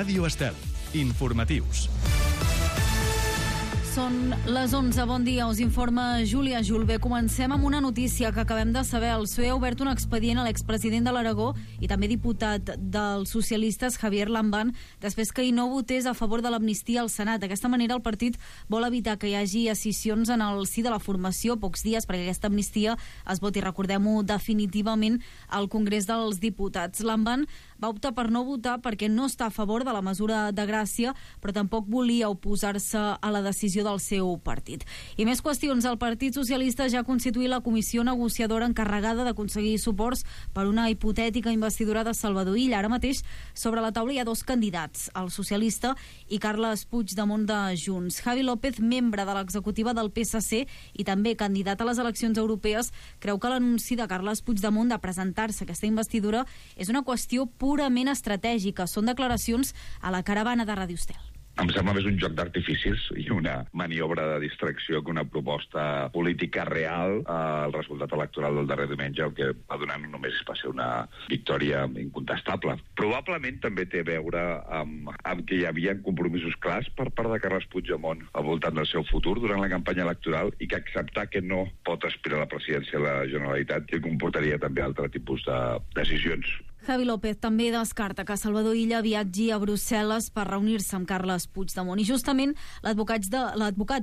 Ràdio Estel. Informatius. Són les 11, bon dia, us informa Júlia Julve. Comencem amb una notícia que acabem de saber. El PSOE ha obert un expedient a l'expresident de l'Aragó i també diputat dels socialistes Javier Lambán després que hi no votés a favor de l'amnistia al Senat. D'aquesta manera el partit vol evitar que hi hagi escissions en el si de la formació pocs dies perquè aquesta amnistia es voti, recordem-ho, definitivament al Congrés dels Diputats. Lambán va optar per no votar perquè no està a favor de la mesura de gràcia, però tampoc volia oposar-se a la decisió del seu partit. I més qüestions. El Partit Socialista ja ha constituït la comissió negociadora encarregada d'aconseguir suports per una hipotètica investidura de Salvador Illa. Ara mateix sobre la taula hi ha dos candidats, el socialista i Carles Puigdemont de Junts. Javi López, membre de l'executiva del PSC i també candidat a les eleccions europees, creu que l'anunci de Carles Puigdemont de presentar-se a aquesta investidura és una qüestió purament estratègica. Són declaracions a la caravana de Ràdio Estel. Em sembla més un joc d'artificis i una maniobra de distracció que una proposta política real. El resultat electoral del darrer diumenge el que va donar només va ser una victòria incontestable. Probablement també té a veure amb que hi havia compromisos clars per part de Carles Puigdemont al voltant del seu futur durant la campanya electoral i que acceptar que no pot aspirar a la presidència de la Generalitat que comportaria també altre tipus de decisions. Javi López també descarta que Salvador Illa viatgi a Brussel·les per reunir-se amb Carles Puigdemont. I justament l'advocat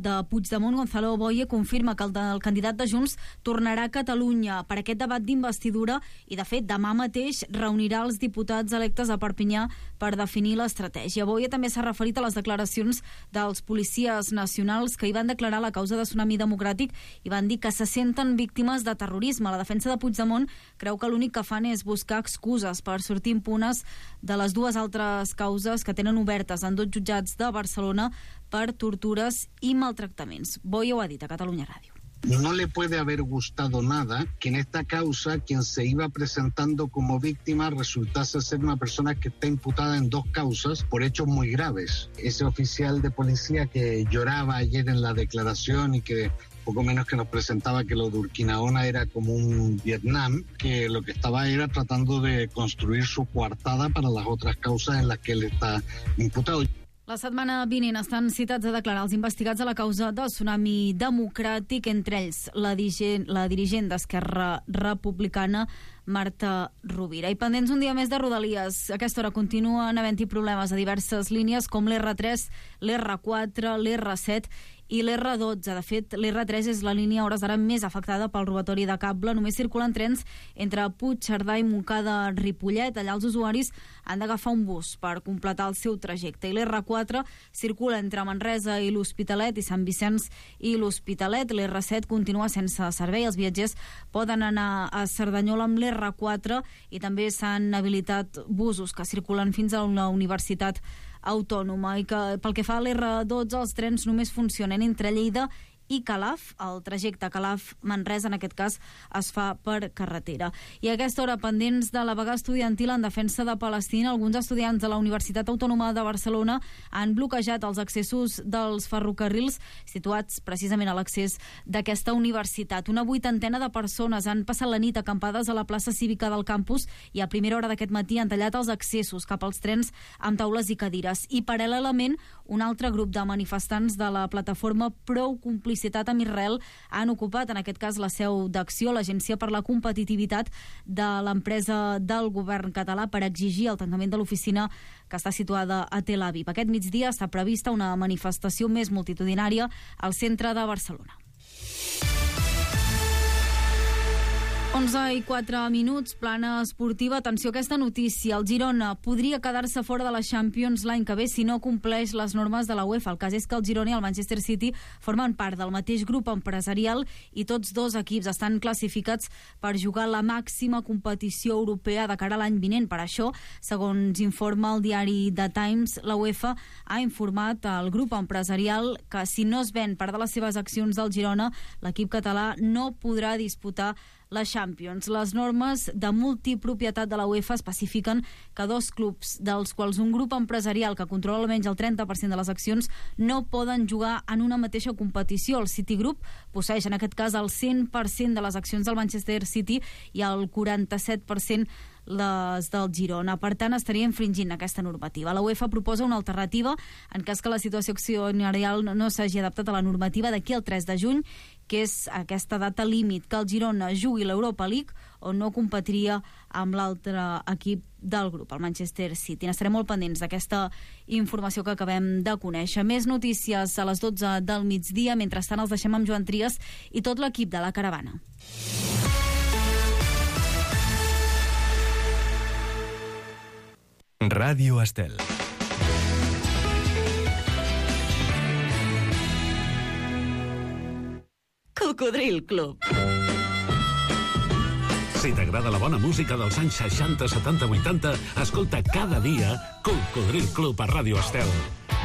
de Puigdemont, Gonzalo Boye, confirma que el candidat de Junts tornarà a Catalunya per aquest debat d'investidura i, de fet, demà mateix reunirà els diputats electes a Perpinyà per definir l'estratègia. Boye també s'ha referit a les declaracions dels policies nacionals que hi van declarar la causa de Tsunami Democràtic i van dir que se senten víctimes de terrorisme. La defensa de Puigdemont creu que l'únic que fan és buscar excuses per sortir impunes de les dues altres causes que tenen obertes en 2 jutjats de Barcelona per tortures i maltractaments. Boye ho ha dit a Catalunya Ràdio. No le puede haber gustado nada que en esta causa quien se iba presentando como víctima resultase ser una persona que está imputada en 2 causas por hechos muy graves. Ese oficial de policía que lloraba ayer en la declaración y que poco menos que nos presentaba que lo de Urquinaona era como un Vietnam, que lo que estaba era tratando de construir su coartada para las otras causas en las que él está imputado. La setmana vinent estan citats a declarar els investigats a la causa de Tsunami Democràtic, entre ells la dirigent d'Esquerra Republicana, Marta Rovira. I pendents un dia més de Rodalies. A aquesta hora continuen havent-hi problemes a diverses línies com l'R3, l'R4, l'R7 i l'R12. De fet, l'R3 és la línia a hores d'ara més afectada pel robatori de cable. Només circulen trens entre Puigcerdà i Montcada-Ripollet. Allà els usuaris han d'agafar un bus per completar el seu trajecte. I l'R4 circula entre Manresa i l'Hospitalet i Sant Vicenç i l'Hospitalet. L'R7 continua sense servei. Els viatgers poden anar a Cerdanyola amb l'R4 i també s'han habilitat busos que circulen fins a la Universitat Autònoma. I que pel que fa a l'R12 els trens només funcionen entre Lleida i Calaf. El trajecte Calaf-Manresa en aquest cas es fa per carretera. I a aquesta hora, pendents de la vaga estudiantil en defensa de Palestina, alguns estudiants de la Universitat Autònoma de Barcelona han bloquejat els accessos dels ferrocarrils situats precisament a l'accés d'aquesta universitat. Una 80ena de persones han passat la nit acampades a la plaça cívica del campus i a primera hora d'aquest matí han tallat els accessos cap als trens amb taules i cadires. I paral·lelament, un altre grup de manifestants de la plataforma Prou Complicitat amb Israel han ocupat, en aquest cas, la seu d'Acció, l'Agència per la Competitivitat de l'empresa del govern català, per exigir el tancament de l'oficina que està situada a Tel Aviv. Aquest migdia està prevista una manifestació més multitudinària al centre de Barcelona. 11:04, plana esportiva. Atenció a aquesta notícia. El Girona podria quedar-se fora de la Champions l'any que ve si no compleix les normes de la UEFA. El cas és que el Girona i el Manchester City formen part del mateix grup empresarial i tots dos equips estan classificats per jugar la màxima competició europea de cara a l'any vinent. Per això, segons informa el diari The Times, la UEFA ha informat al grup empresarial que si no es ven part de les seves accions del Girona, l'equip català no podrà disputar la Champions. Les normes de multipropietat de la UEFA especifiquen que 2 clubs, dels quals un grup empresarial que controla almenys el 30% de les accions, no poden jugar en una mateixa competició. El Citigroup posseix en aquest cas el 100% de les accions del Manchester City i el 47% les del Girona. Per tant, estaria infringint aquesta normativa. La UEFA proposa una alternativa en cas que la situació accionarial no s'hagi adaptat a la normativa d'aquí al 3 de juny, que és aquesta data límit, que el Girona jugui l'Europa League o no competiria amb l'altre equip del grup, el Manchester City. N'estarem molt pendents d'aquesta informació que acabem de conèixer. Més notícies a les 12 del migdia. Mentrestant els deixem amb Joan Trias i tot l'equip de la caravana. Ràdio Estel. Cocodril Club. Si t'agrada la bona música dels anys 60, 70, 80, escolta cada dia Cocodril Club a Ràdio Estel.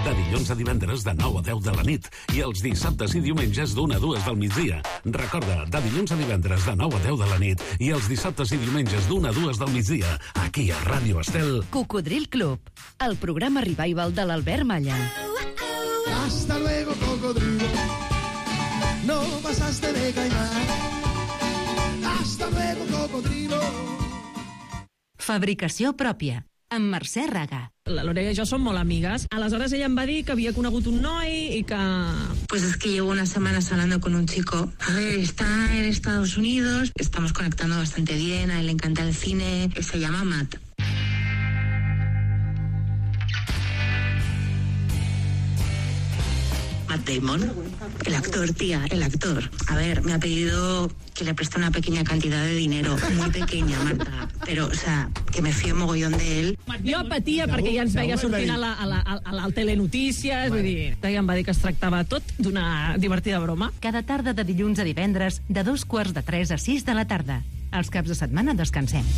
De dilluns a divendres de 9 a 10 de la nit i els dissabtes i diumenges d'1 a 2 del migdia. Recorda, de dilluns a divendres de 9 a 10 de la nit i els dissabtes i diumenges d'1 a 2 del migdia, aquí a Ràdio Estel. Cocodril Club, el programa revival de l'Albert Malla. Hasta luego, cocodrilo. No pasaste de caimán. Hasta luego, cocodrilo. Fabricació pròpia, amb Mercè Raga. La Lorena i jo som molt amigues. Aleshores ella em va dir que havia conegut un noi i que... Pues es que llevo unas semanas hablando con un chico. A ver, está en Estados Unidos, estamos conectando bastante bien, a él le encanta el cine, se llama Matt. Matt Damon, el actor, tía, el actor. A ver, me ha pedido que le preste una pequeña cantidad de dinero, muy pequeña, Marta, pero, o sea, que me fío mogollón de él. Jo patia perquè ja ens veia sortint a Telenotícies, vull dir, ella em va dir que es tractava tot d'una divertida broma. Cada tarda de dilluns a divendres, de 2:45 a 6 de la tarda. Els caps de setmana descansem.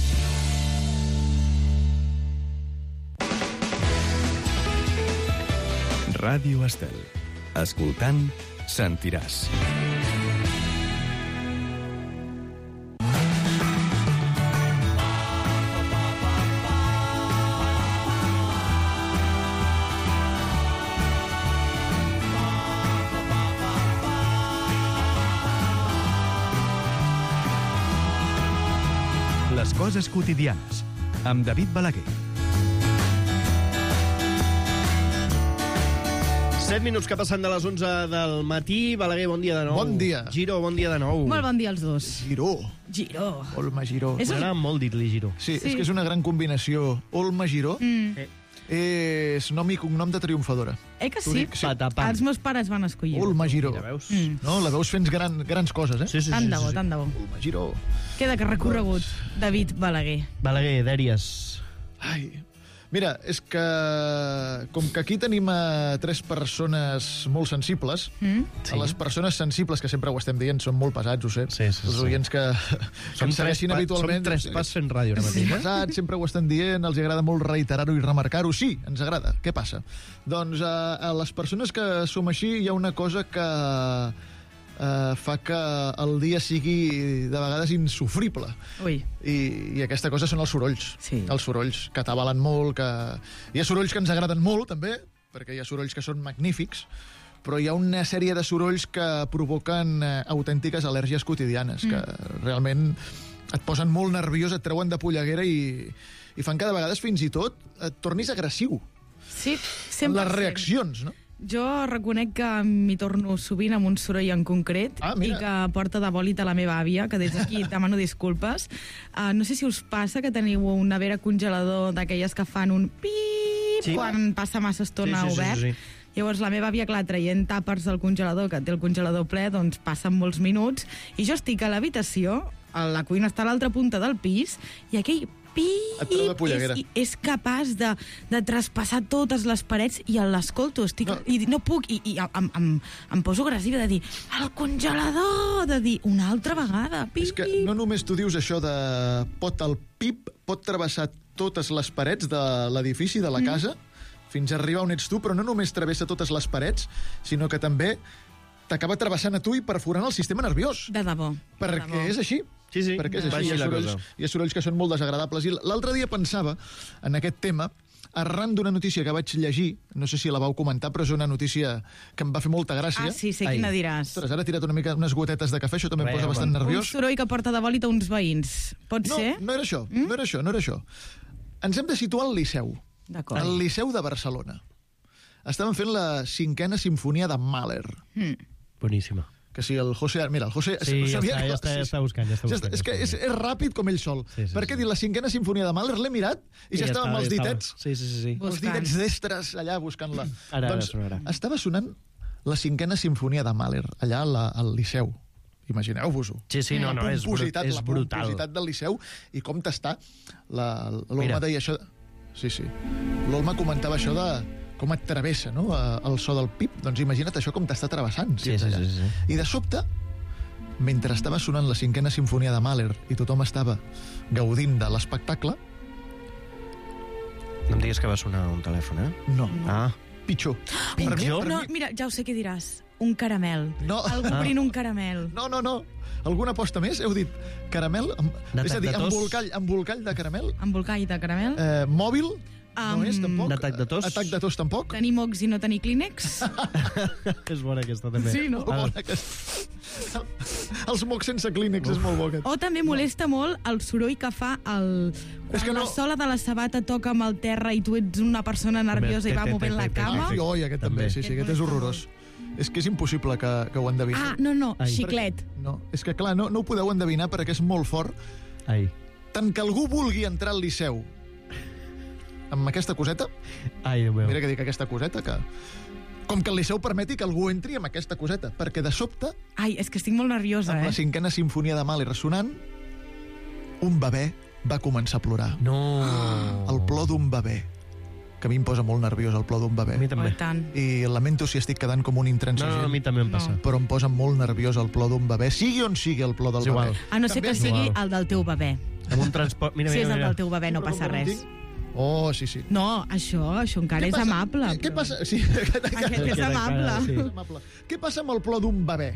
Ràdio Estel. Escoltant, sentiràs. Les coses quotidianes, amb David Balaguer. 7 minuts que passen de les 11 del matí. Balaguer, bon dia de nou. Bon dia. Giro, bon dia de nou. Molt bon dia als dos. Giró. Giró. Olma Giró. M'agrada molt dir-li Giro. Sí, és que és una gran combinació. Olma Giró és nom i cognom de triomfadora. Que sí? Patapam. Els meus pares van escollir. Olma Giró. La veus? No, la veus fent grans coses, eh? Sí. Tant de bo, tant de bo. Olma Giró. Queda que recorregut, David Balaguer. Balaguer, dèries. Ai, mira, és que com que aquí tenim a 3 persones molt sensibles, a les persones sensibles, que sempre ho estem dient, són molt pesats, ho sé. Sí. Els oients que ens segueixin habitualment... Som 3 pas fent ràdio ara mateix. Pesats, sempre ho estan dient, els agrada molt reiterar-ho i remarcar-ho. Sí, ens agrada. Què passa? Doncs a les persones que som així hi ha una cosa que fa que el dia sigui de vegades insufrible. Ui. I aquesta cosa són els sorolls. Sí. Els sorolls que t'avalen molt, que... Hi ha sorolls que ens agraden molt, també, perquè hi ha sorolls que són magnífics, però hi ha una sèrie de sorolls que provoquen autèntiques al·lèrgies quotidianes, que realment et posen molt nerviós, et treuen de polleguera i fan que de vegades fins i tot et tornis agressiu. Sí, sempre. Les reaccions, no? Jo reconec que m'hi torno sovint amb un soroll en concret i que porta de bòlit a la meva àvia, que des d'aquí demano disculpes. No sé si us passa que teniu un nevera congelador d'aquelles que fan un pip quan passa massa estona obert. Sí. Llavors la meva àvia, clar, traient tàpers del congelador, que té el congelador ple, doncs passen molts minuts, i jo estic a l'habitació, la cuina està a l'altra punta del pis, i aquell és capaç de traspassar totes les parets i l'escolto, i no puc, i em poso agressiva de dir el congelador, de dir una altra vegada, pip. És que no només tu dius això de el pip pot travessar totes les parets de l'edifici, de la casa, fins a arribar on ets tu, però no només travessa totes les parets, sinó que també t'acaba travessant a tu i perforant el sistema nerviós. De debò. Perquè és així. Sí. Perquè és així. Hi ha sorolls que són molt desagradables. I l'altre dia pensava en aquest tema arran d'una notícia que vaig llegir, no sé si la vau comentar, però és una notícia que em va fer molta gràcia. Ah, sí, sé quina diràs. Ostres, ara he tirat unes gotetes de cafè, això també em posa bastant nerviós. Un soroll que porta de bòlit a uns veïns. Pot ser? No era això, no era això. Ens hem de situar al Liceu. D'acord. Al Liceu de Barcelona. Estàvem fent la 5a sinfonia de Mahler. Boníssima. Que si el José... Mira, el José... Sí, ja està buscant. És que és ràpid com ell sol. Perquè dic, la 5a sinfonia de Mahler l'he mirat i ja estava amb els ditets. Sí. Els ditets destres allà buscant-la. Ara sonarà. Estava sonant la 5a sinfonia de Mahler, allà al Liceu. Imagineu-vos-ho. Sí, no, és brutal. La pompositat del Liceu i com t'està. L'Olma deia això... Sí. L'Olma comentava això de com et travessa, no?, el so del pip. Doncs imagina't això com t'està travessant. Sí. I de sobte, mentre estava sonant la 5a sinfonia de Mahler i tothom estava gaudint de l'espectacle... No em diguis que va sonar un telèfon, eh? No. Pitjor. No, mira, ja ho sé què diràs. Un caramel. No. Algú obrint un caramel. No. Alguna aposta més? Heu dit caramel? És a dir, embolcall de caramel? Embolcall de caramel. Mòbil? No és, tampoc. Atac de tos? Atac de tos, tampoc. Tenir mocs i no tenir clínex. És bona aquesta, també. Sí, no? Els mocs sense clínex és molt bo, aquest. O també molesta molt el soroll que fa quan la sola de la sabata toca amb el terra i tu ets una persona nerviosa i va movent la cama. Oi, aquest també. Sí, aquest és horrorós. És que és impossible que ho endevineu. No, xiclet. No, és que clar, no ho podeu endevinar perquè és molt fort. Tant que algú vulgui entrar al Liceu amb aquesta coseta, mira que dic aquesta coseta, que com que el Liceu permeti que algú entri amb aquesta coseta, perquè de sobte... És que estic molt nerviosa, amb la 5a sinfonia de Mahler ressonant, un bebè va començar a plorar. No! El plor d'un bebè, que a mi em posa molt nerviós el plor d'un bebè. A mi també. I lamento si estic quedant com un intransigent. No, a mi també em passa. Però em posa molt nerviós el plor d'un bebè, sigui on sigui el plor del bebè. A no ser que sigui el del teu bebè. Amb un transport... Si és el del teu bebè no passa res. Oh, sí. No, això encara és amable. Què passa? Sí, aquest és amable. Què passa amb el plor d'un bebè?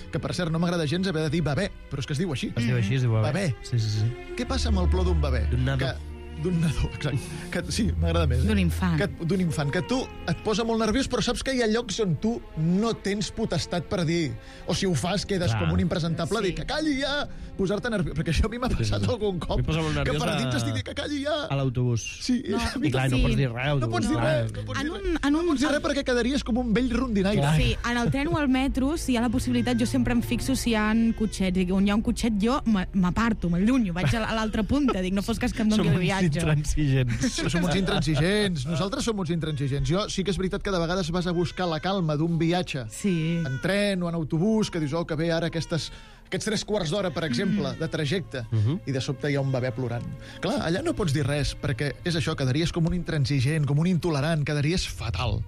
Que, per cert, no m'agrada gens haver de dir bebè, però és que es diu així. Es diu així, es diu bebè. Sí. Què passa amb el plor d'un bebè? D'un nadó. D'un nadó, exacte. Sí, m'agrada més. D'un infant. D'un infant, que tu et posa molt nerviós, però saps que hi ha llocs on tu no tens potestat per dir, o si ho fas quedes com un impresentable, dir que calli ja, posar-te nerviós, perquè això a mi m'ha passat algun cop, que per dins estic dient que calli ja. A l'autobús. Sí. I clar, no pots dir res. No pots dir res. No pots dir res perquè quedaries com un vell rondinaire. Sí, en el tren o al metro, si hi ha la possibilitat, jo sempre em fixo si hi ha cotxets. On hi ha un cotxet, jo m'aparto, m'allunyo, vaig a l'altra punta, dic, no fos cas que em doni el viatge. Som uns intransigents. Nosaltres som uns intransigents. Jo sí que és veritat que de vegades vas a buscar la calma d'un viatge en tren o en autobús, que dius, que bé, ara aquests 3 quarts d'hora, per exemple, de trajecte, i de sobte hi ha un bebè plorant. Clar, allà no pots dir res, perquè és això, quedaries com un intransigent, com un intolerant, quedaries fatal.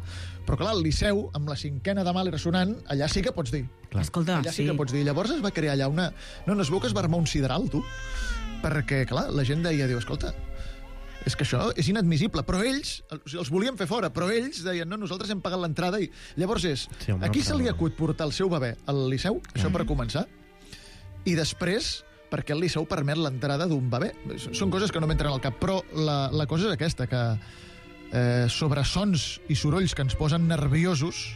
Però clar, al Liceu, amb la 5a de Mahler ressonant, allà sí que pots dir. Escolta, allà sí que pots dir. Llavors es va crear allà una... No es veu que es va armar un sideral, tu? Perquè, clar, la gent deia, escolta, és que això és inadmissible, però ells els volien fer fora, però ells deien, no, nosaltres hem pagat l'entrada, i llavors a qui se li acut portar el seu bebè al Liceu, això per començar, i després perquè el Liceu permet l'entrada d'un bebè. Són coses que no m'entren al cap, però la cosa és aquesta, que sobre sons i sorolls que ens posen nerviosos,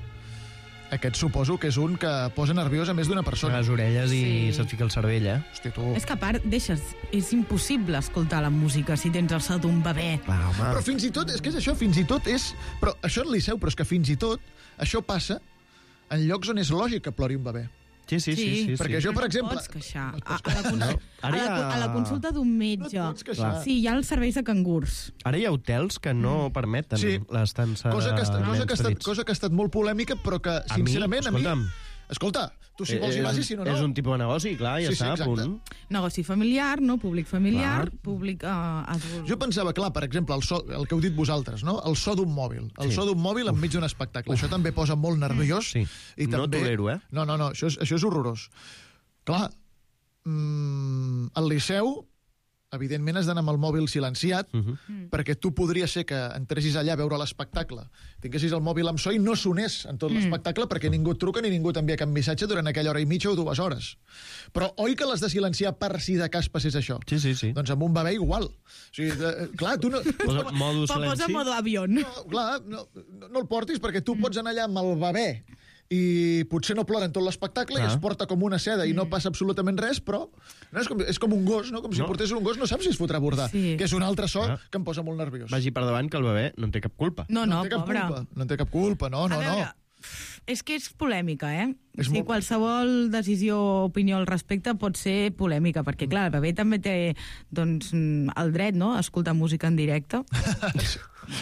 aquest suposo que és un que posa nerviós a més d'una persona. A les orelles i se't fica el cervell, eh? Hòstia, tu... És que a part, és impossible escoltar la música si tens el so d'un bebè. Però fins i tot, és que és això, fins i tot és... Però això en Liceu, però és que fins i tot això passa en llocs on és lògic que plori un bebè. Sí. Perquè jo, per exemple... No pots queixar. A la consulta d'un metge. No et pots queixar. Sí, hi ha els serveis de cangurs. Ara hi ha hotels que no permeten l'estança de nens petits. Cosa que ha estat molt polèmica, però que, sincerament, a mi... Escolta, tu si vols hi vas i si no, no. És un tipus de negoci, clar, ja està, a punt. Negoci familiar, no? Públic familiar, públic adult. Jo pensava, clar, per exemple, el que heu dit vosaltres, no? El so d'un mòbil. El so d'un mòbil enmig d'un espectacle. Això també posa molt nerviós. Sí, no tolero, eh? No, això és horrorós. Clar, al Liceu evidentment has d'anar amb el mòbil silenciat, perquè tu podria ser que entressis allà a veure l'espectacle, tinguessis el mòbil amb so i no sonés en tot l'espectacle perquè ningú et truca ni ningú t'envia cap missatge durant aquella hora i mitja o 2 hores. Però oi que l'has de silenciar per si de cas passés això? Sí. Doncs amb un bebè igual. O sigui, clar, tu no... Posa modo avión. No, clar, no el portis perquè tu pots anar allà amb el bebè i potser no plora en tot l'espectacle i es porta com una seda i no passa absolutament res, però és com un gos, no? Com si portés un gos, no saps si es fotrà a bordar, que és un altre so que em posa molt nerviós. Vagi per davant que el bebè no en té cap culpa. No, pobre. No en té cap culpa, no. És que és polèmica, Sí, qualsevol decisió o opinió al respecte pot ser polèmica, perquè, clar, el bebè també té el dret, no?, a escoltar música en directe.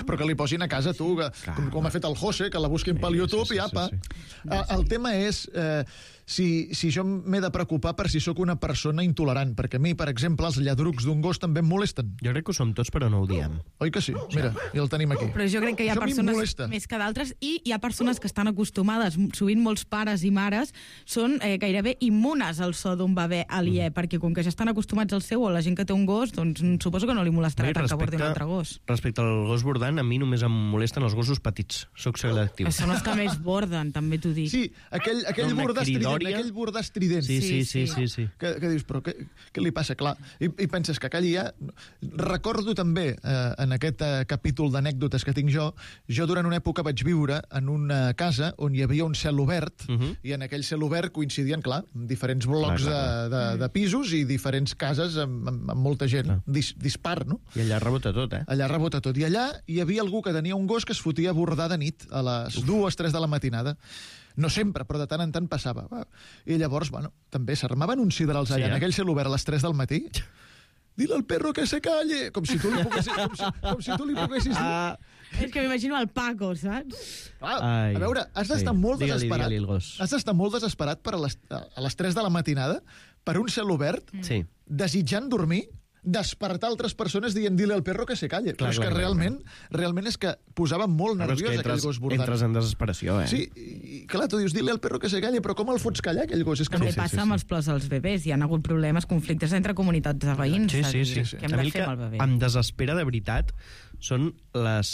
Però que li posin a casa, tu, com ha fet el José, que la busquin pel YouTube i apa. El tema és si jo m'he de preocupar per si sóc una persona intolerant, perquè a mi, per exemple, els lladrucs d'un gos també em molesten. Jo crec que ho som tots, però no ho diem. Oi que sí? Mira, ja el tenim aquí. Però jo crec que hi ha persones més que d'altres i hi ha persones que estan acostumades, sovint molts pares i mares, són gairebé immunes al so d'un bebè aliè, perquè com que ja estan acostumats al seu o la gent que té un gos, doncs suposo que no li molestarà tant que bordi un altre gos. Respecte al gos bordant, a mi només em molesten els gossos petits. Soc selectiu. Són els que més borden, també t'ho dic. Sí, aquell bordar estrident. Sí. Que dius, però què li passa? Clar, i penses que aquell ja... Recordo també, en aquest capítol d'anècdotes que tinc jo durant una època vaig viure en una casa on hi havia un cel obert, i en aquell cel obert coincidien, clar, diferents blocs de pisos i diferents cases amb molta gent dispar, no? I allà rebota tot, Allà rebota tot. I allà hi havia algú que tenia un gos que es fotia a bordar de nit, a les 2-3 de la matinada. No sempre, però de tant en tant passava. I llavors, bueno, també s'armaven uns siderals allà, en aquell cel obert a les 3 del matí. Dile al perro que se calle! Com si tu li poguessis dir. És que m'imagino el Paco, saps? A veure, has d'estar molt desesperat. Has d'estar molt desesperat per a les 3 de la matinada per un cel obert, desitjant dormir, despertar altres persones dient dile al perro que se calle. Però és que realment és que posava molt nerviós aquell gos bordant. Entres en desesperació, Sí, i clar, tu dius dile al perro que se calle, però com el fots callar aquell gos? És que també passa amb els plors als bebès. Hi ha hagut problemes, conflictes entre comunitats de veïns. Sí. Què hem de fer amb el bebè? Em desespera de veritat són les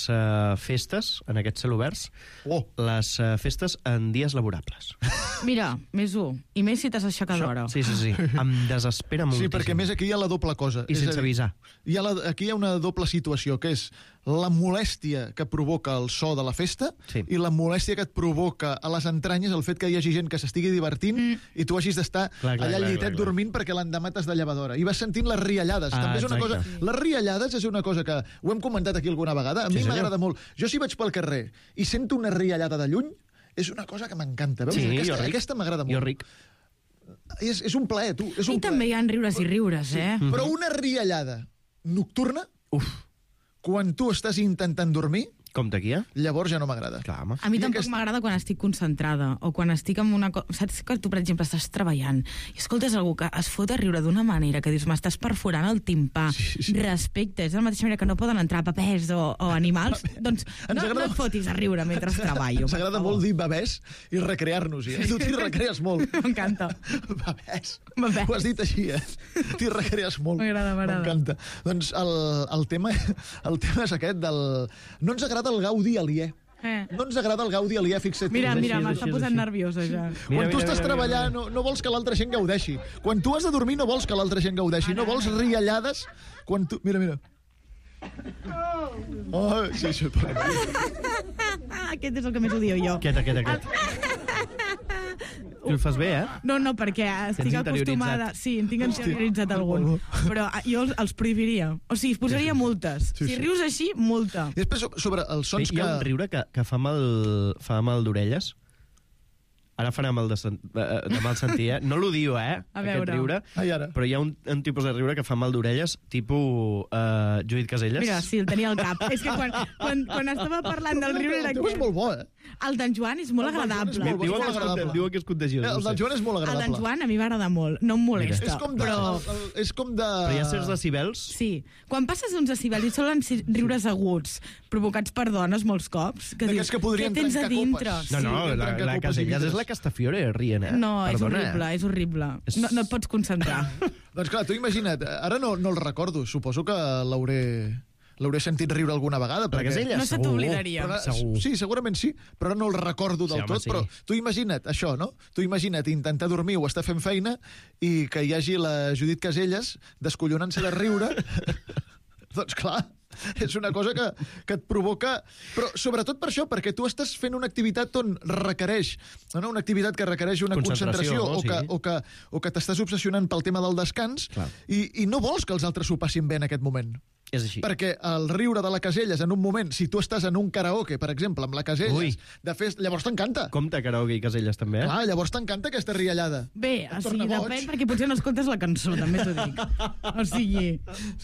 festes, en aquests celoberts, les festes en dies laborables. Mira, més 1. I més si t'has aixecat d'hora. Sí. Em desespera moltíssim. Sí, perquè més aquí hi ha la doble cosa. I sense avisar. Aquí hi ha una doble situació, que és la molèstia que provoca el so de la festa i la molèstia que et provoca a les entranyes el fet que hi hagi gent que s'estigui divertint i tu hagis d'estar allà al llitet dormint perquè l'endemà t'has de llevar d'hora. I vas sentint les riallades. També és una cosa... Les riallades és una cosa que ho hem comentat aquí alguna vegada. A mi m'agrada molt. Jo si vaig pel carrer i sento una riallada de lluny, és una cosa que m'encanta. Aquesta m'agrada molt. Jo ric. És un plaer, tu. I també hi ha riures i riures, Però una riallada nocturna, quan tu estàs intentant dormir, com d'aquí, llavors ja no m'agrada. A mi tampoc m'agrada quan estic concentrada o quan estic en una cosa... Saps que tu, per exemple, estàs treballant i escoltes algú que es fot a riure d'una manera que dius, m'estàs perforant el timpà. Respecte, és de la mateixa manera que no poden entrar papers o animals, doncs no et fotis a riure mentre treballo. Ens agrada molt dir bebès i recrear-nos. Tu t'hi recrees molt. M'encanta. Bebès. Ho has dit així, T'hi recrees molt. M'agrada. M'encanta. Doncs el tema és aquest del... No ens agrada el gaudi aliè. No ens agrada el gaudi aliè, fixa't. Mira, m'està posant nerviosa ja. Quan tu estàs treballant no vols que l'altra gent gaudeixi. Quan tu has de dormir no vols que l'altra gent gaudeixi. No vols riallades quan tu... Mira. Sí. Aquest és el que més odio jo. Aquest. Tu el fas bé, No, perquè estic acostumada... Sí, em tinc interioritzat algun. Però jo els prohibiria. O sigui, posaria multes. Si rius així, multa. I després, sobre els sons que... Hi ha un riure que fa mal d'orelles. Ara farà mal de mal sentir, No l'odio, aquest riure. Però hi ha un tipus de riure que fa mal d'orelles, tipus Judit Caselles. Mira, sí, el tenia al cap. És que quan estava parlant del riure... El teu és molt bo, El d'en Joan és molt agradable. Diuen que és contagiós. El d'en Joan és molt agradable. El d'en Joan a mi m'agrada molt, no em molesta. És com de... Però hi ha certs decibels? Sí. Quan passes uns decibels i solen riures aguts, provocats per dones molts cops, que dius, què tens a dintre? No, la Casellas és la Castafiore rient, eh? No, és horrible, és horrible. No et pots concentrar. Doncs clar, tu imagina't, ara no el recordo, suposo que l'hauré sentit riure alguna vegada. Perquè no se t'oblidaria. Sí, segurament sí, però ara no el recordo del tot. Però tu imagina't això, no? Tu imagina't intentar dormir o estar fent feina i que hi hagi la Judit Casellas descollonant-se de riure. Doncs clar, és una cosa que et provoca... Però sobretot per això, perquè tu estàs fent una activitat on requereix... No, una activitat que requereix una concentració o que t'estàs obsessionant pel tema del descans i no vols que els altres s'ho passin bé en aquest moment. És així. Perquè el riure de la Casellas en un moment, si tu estàs en un karaoke, per exemple, amb la Casellas, llavors t'encanta. Compte karaoke i Casellas també, eh? Clar, llavors t'encanta aquesta riallada. Bé, o sigui, depèn, perquè potser no escoltes la cançó, també t'ho dic. O sigui...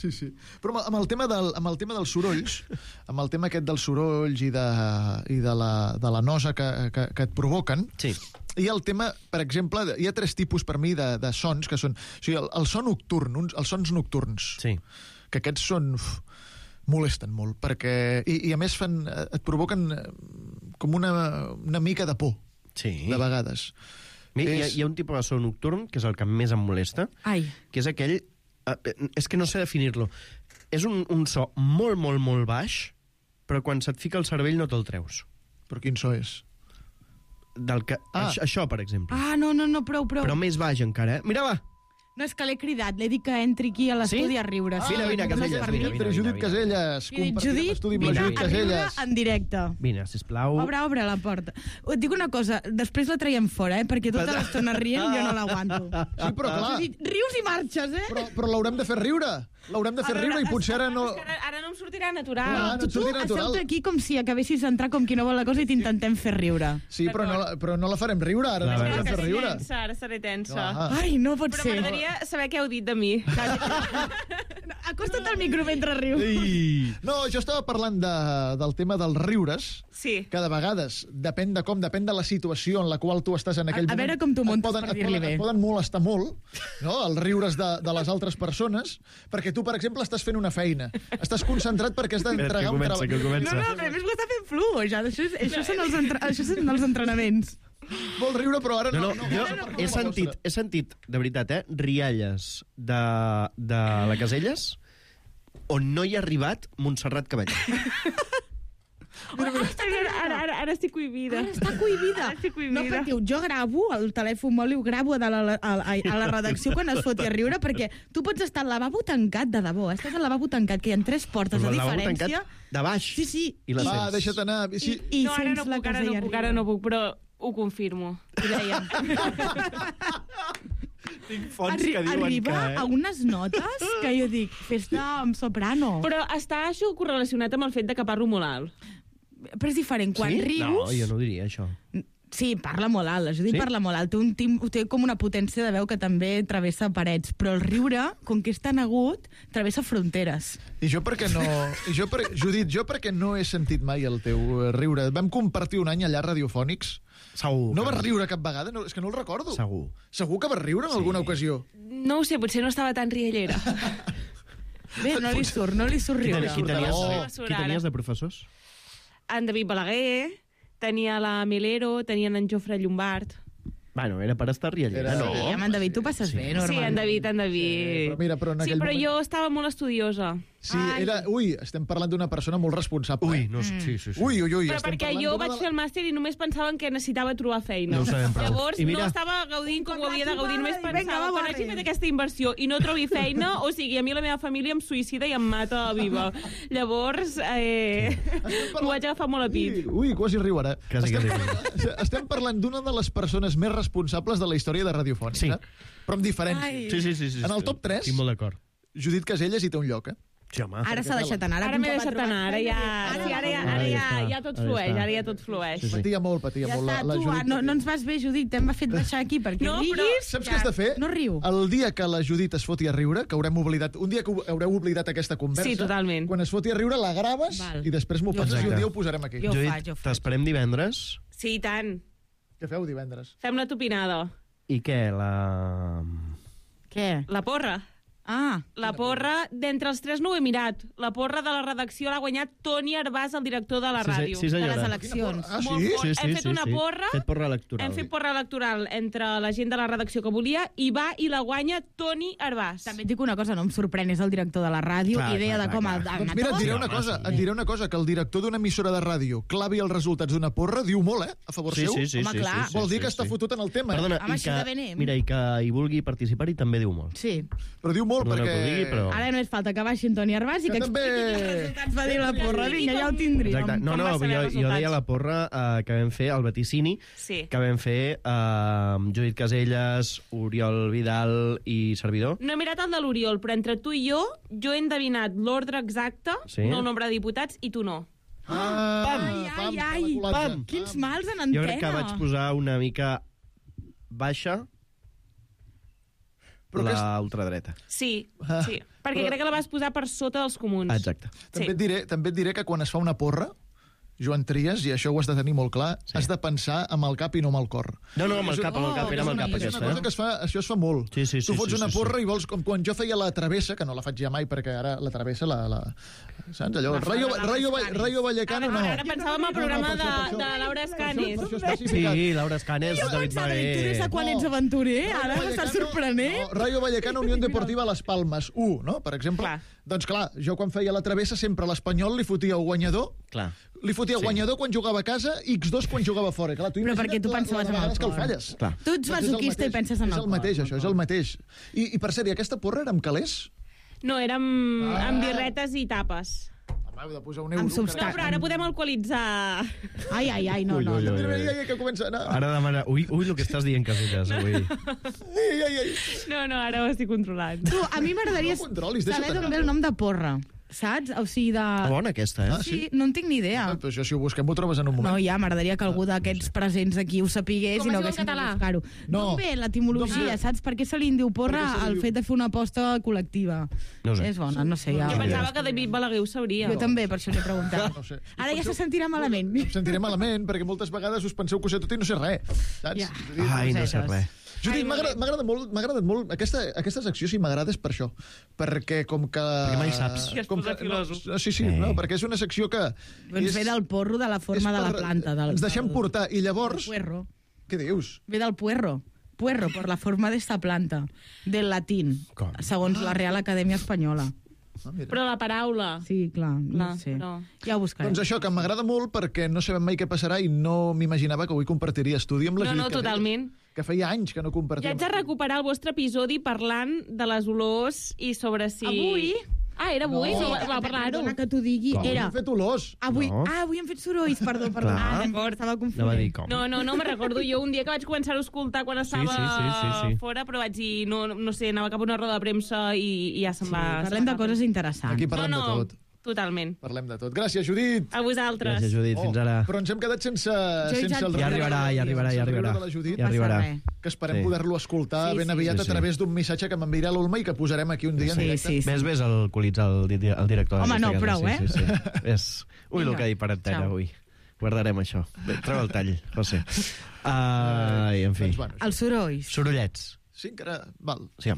Sí. Però amb el tema dels sorolls, amb el tema aquest dels sorolls i de la nosa que et provoquen, hi ha el tema, per exemple, hi ha 3 tipus per mi de sons, que són... O sigui, el son nocturn, els sons nocturns. Sí. Que aquests molesten molt, perquè... I a més et provoquen com una mica de por, de vegades. Hi ha un tipus de so nocturn, que és el que més em molesta, que és aquell... És que no sé definir-lo. És un so molt, molt, molt baix, però quan se't fica el cervell no te'l treus. Però quin so és? Això, per exemple. No, prou. Però més baix encara, eh? Mira, va! No, és que l'he cridat, l'he dit que entri aquí a l'estudi a riure. Vine, Casellas, vine. Judit Casellas, compartim estudi amb la Judit Casellas. En directe. Vine, sisplau. Obre la porta. Et dic una cosa, després la traiem fora, perquè tota l'estona rient jo no l'aguanto. Sí, però clar. Rius i marxes, eh? Però l'haurem de fer riure. L'haurem de fer riure i potser ara no... Ara no em sortirà natural. No et sortirà natural. Tu aquí com si acabessis d'entrar com qui no vol la cosa i t'intentem fer riure. Sí, però no la farem riure, ara no la farem fer riure. Ara seré tensa. Ai, no pot ser. Però m'agradaria saber què heu dit de mi. Acosta't al micro mentre rius. No, jo estava parlant del tema dels riures, que de vegades, depèn de la situació en la qual tu estàs en aquell moment. A veure com t'ho muntes per dir-li bé. Et poden molestar molt, no?, els riures de les altres persones, perquè tu, per exemple, estàs fent una feina. Estàs concentrat perquè has d'entregar un treball. No, però a més ho està fent fluix. Això són els entrenaments. Vol riure, però ara no. Jo he sentit, de veritat, rialles de la Casellas on no hi ha arribat Montserrat Caballé. Ara estic cohibida. Ara està cohibida. No, perquè jo gravo, el telèfon mòbil ho gravo a la redacció quan es foti a riure, perquè tu pots estar al lavabo tancat, de debò. Estàs al lavabo tancat, que hi ha 3 portes de diferència. De baix. Sí. Va, deixa't anar. No, ara no puc, però ho confirmo. Ho dèiem. Tinc fonts que diuen arriba a unes notes que jo dic, fes-te amb soprano. Però està això correlacionat amb el fet de que parlo molt alt. Però és diferent, quan rius... No, jo no diria això. Sí, parla molt alt, la Judit parla molt alt. Té com una potència de veu que també travessa parets, però el riure, com que és tan agut, travessa fronteres. I jo perquè no... Judit, jo perquè no he sentit mai el teu riure. Vam compartir un any allà radiofònics. Segur. No vas riure cap vegada? No, és que no el recordo. Segur. Segur que vas riure en alguna ocasió? No ho sé, potser no estava tan riallera. Bé, no li surt riure. Qui tenies de professors? En David Balaguer, tenia la Milero, tenien en Jofre Llombard. Bueno, era per estar riallera, no? Sí, amb en David tu passes bé, normalment. Sí, en David. Sí, però jo estava molt estudiosa. Sí, estem parlant d'una persona molt responsable. Sí. Ui. Però perquè jo vaig fer el màster i només pensaven que necessitava trobar feina. No ho sabem prou. Llavors no estava gaudint com ho havia de gaudir, només pensava quan hagi fet aquesta inversió i no trobi feina, o sigui, a mi la meva família em suïcida i em mata viva. Llavors, m'ho vaig agafar molt a pit. Ui, quasi riurà. Estem parlant d'una de les persones més responsables de la història de Radiofònica, però amb diferència. Sí. En el top 3, estic molt d'acord. Judit Casellas hi té un lloc, eh? Sí, home. Ara s'ha deixat anar. Ara m'he deixat anar, ara ja tot flueix, ara ja tot flueix. Patia molt la Judit. No ens vas bé, Judit, t'hem fet baixar aquí perquè riguis. Saps què has de fer? No riu. El dia que la Judit es foti a riure, que haurem oblidat, un dia que haureu oblidat aquesta conversa, sí, totalment. Quan es foti a riure la graves i després m'ho passes i un dia ho posarem aquí. Jo ho faig. T'esperem divendres. Sí, i tant. Què feu divendres? Fem la topinada. I què, Què? La porra. La porra, d'entre els tres no ho he mirat. La porra de la redacció l'ha guanyat Toni Arbàs, el director de la ràdio. Sí, senyora. De les eleccions. Sí? Hem fet una porra. Fet porra electoral. Hem fet porra electoral entre la gent de la redacció que volia i va i la guanya Toni Arbàs. També et dic una cosa, no em sorprèn, és el director de la ràdio, idea de com ha anat. Doncs mira, et diré una cosa, que el director d'una emissora de ràdio clavi els resultats d'una porra, diu molt, a favor seu. Sí. Home, clar. Vol dir que està fotut en el tema. Perdona, mira, i que hi vulgui participar-hi també diu molt. Sí. Però diu molt perquè... Ara només falta que baixi Toni Arbàs i que expliqui quins resultats va dir la porra. Vinga, ja ho tindríem. Exacte. No, jo deia la porra que vam fer, el vaticini, que vam fer Judit Caselles, Oriol Vidal i servidor. No he mirat el de l'Oriol, però entre tu i jo he endevinat l'ordre exacte, no el nombre de diputats, i tu no. Pam! Quins mals en antena. Jo crec que vaig posar una mica baixa la ultradreta. Sí, perquè crec que la vas posar per sota dels comuns. Exacte. També et diré que quan es fa una porra, Joan Trias, i això ho has de tenir molt clar, has de pensar amb el cap i no amb el cor. No, amb el cap, era amb el cap. És una cosa que això es fa molt. Tu fots una porra i vols, com quan jo feia la travessa, que no la faig ja mai, perquè ara la travessa, saps allò? Rayo Vallecano, no. Ara pensàvem al programa de Laura Escanes. Sí, Laura Escanes, David Balaguer. Tu des de quan ets aventurer? Ara m'estàs sorprenent. Rayo Vallecano, Unión Deportiva Las Palmas, 1, no? Per exemple. Doncs clar, jo quan feia la travessa sempre a l'Espanyol li fotia el guanyador. Li fotia guanyador quan jugava a casa i X2 quan jugava fora. Clar, però perquè tu pensaves en el cor. Tu ets masoquista i penses en el cor. És el mateix, això, és el mateix. I per cert, aquesta porra era amb calés? No, era amb birretes i tapes. Heu de posar un euro. No, però ara podem alcoholitzar. Ai, no. Que comença a anar. Ara demana... Ui, el que estàs dient, Casellas, avui. No, ara ho estic controlant. Tu, a mi m'agradaria saber d'on ve el nom de porra. Saps? O sigui, de... Bona aquesta, Sí, no en tinc ni idea. Però això, si ho busquem, ho trobes en un moment. No, ja, m'agradaria que algú d'aquests presents aquí ho sapigués i no haguéssim de buscar-ho. No ve l'etimologia, saps? Per què se li en diu porra al fet de fer una aposta col·lectiva? No sé. És bona, no sé. Jo pensava que David Balaguer ho sabria. Jo també, per això l'he preguntat. Ara ja se sentirà malament. Em sentiré malament, perquè moltes vegades us penseu que ho sé tot i no sé res. Saps? Ai, no sé res. Judit, m'ha agradat molt. Aquesta secció sí m'agrada és per això. Perquè com que... Perquè mai saps. Sí, no, perquè és una secció que... Doncs ve del porro, de la forma de la planta. Ens deixem portar i llavors... Puerro. Què dius? Ve del puerro. Puerro, por la forma d'esta planta. Del latín, segons la Real Acadèmia Espanyola. Però la paraula... Sí, clar, no sé. Ja ho buscarem. Doncs això, que m'agrada molt perquè no sabem mai què passarà i no m'imaginava que avui compartiria estudi amb la Judit. No, totalment. Que feia anys que no compartíem. Ja haig de recuperar el vostre episodi parlant de les olors i sobre si... Avui? Era avui, va parlar-ho. Perdona que t'ho digui. Era... Hem fet olors. Avui hem fet sorolls, perdó. D'acord. Estava confondent. No me'n recordo. Jo un dia que vaig començar a escoltar quan estava fora, però vaig dir, no sé, anava cap a una roda de premsa i ja se'n va... Parlem de coses interessants. Aquí parlem de tot. Totalment. Parlem de tot. Gràcies, Judit. A vosaltres. Gràcies, Judit. Fins ara. Però ens hem quedat sense el... Ja arribarà. Que esperem poder-lo escoltar ben aviat a través d'un missatge que m'enviarà l'Olma i que posarem aquí un dia en directe. Ves alcoholitzar el director. Home, no, prou, Ui, el que ha dit per antena avui. Guardarem això. Treu el tall, José. En fi. Els sorolls. Sorollets. Sí, encara... Val. Sí,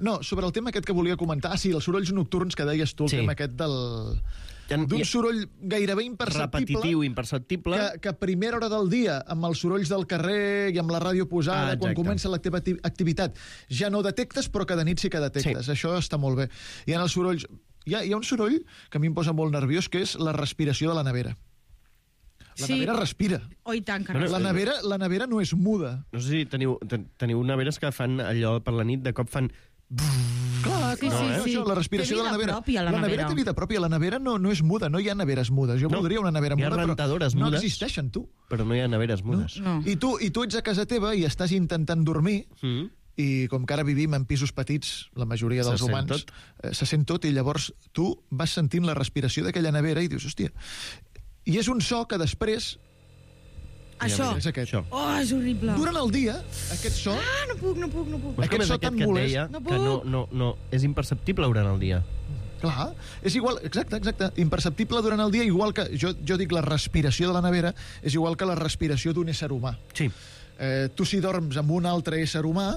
no, sobre el tema aquest que volia comentar... els sorolls nocturns que deies tu, el tema aquest d'un soroll gairebé imperceptible... Repetitiu, imperceptible... Que a primera hora del dia, amb els sorolls del carrer i amb la ràdio posada, quan comença la teva activitat, ja no detectes, però que de nit sí que detectes. Això està molt bé. Hi ha els sorolls... Hi ha un soroll que a mi em posa molt nerviós, que és la respiració de la nevera. La nevera respira. Oi, tant, la nevera no és muda. No sé si teniu neveres que fan allò per la nit, de cop fan... Clar, sí. La respiració de la nevera. La nevera té vida pròpia. La nevera no és muda, no hi ha neveres mudes. Jo voldria una nevera muda, però no existeixen, tu. Però no hi ha neveres mudes. I tu ets a casa teva i estàs intentant dormir i com que ara vivim en pisos petits, la majoria dels humans, se sent tot, i llavors tu vas sentint la respiració d'aquella nevera i dius, hòstia... I és un so que després... Això. És aquest. Oh, és horrible. Durant el dia, aquest so... Ah, no puc. Aquest so tan molest... Que no, és imperceptible durant el dia. Clar, és igual, exacte, imperceptible durant el dia, igual que, jo dic la respiració de la nevera, és igual que la respiració d'un ésser humà. Sí. Tu si dorms amb un altre ésser humà,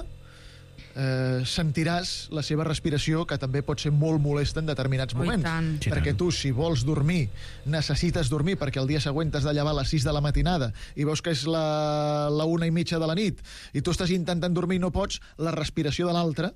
sentiràs la seva respiració, que també pot ser molt molesta en determinats moments. Perquè tu, si vols dormir, necessites dormir, perquè el dia següent t'has de llevar a les 6 de la matinada i veus que és la 1:30 de la nit i tu estàs intentant dormir i no pots, la respiració de l'altre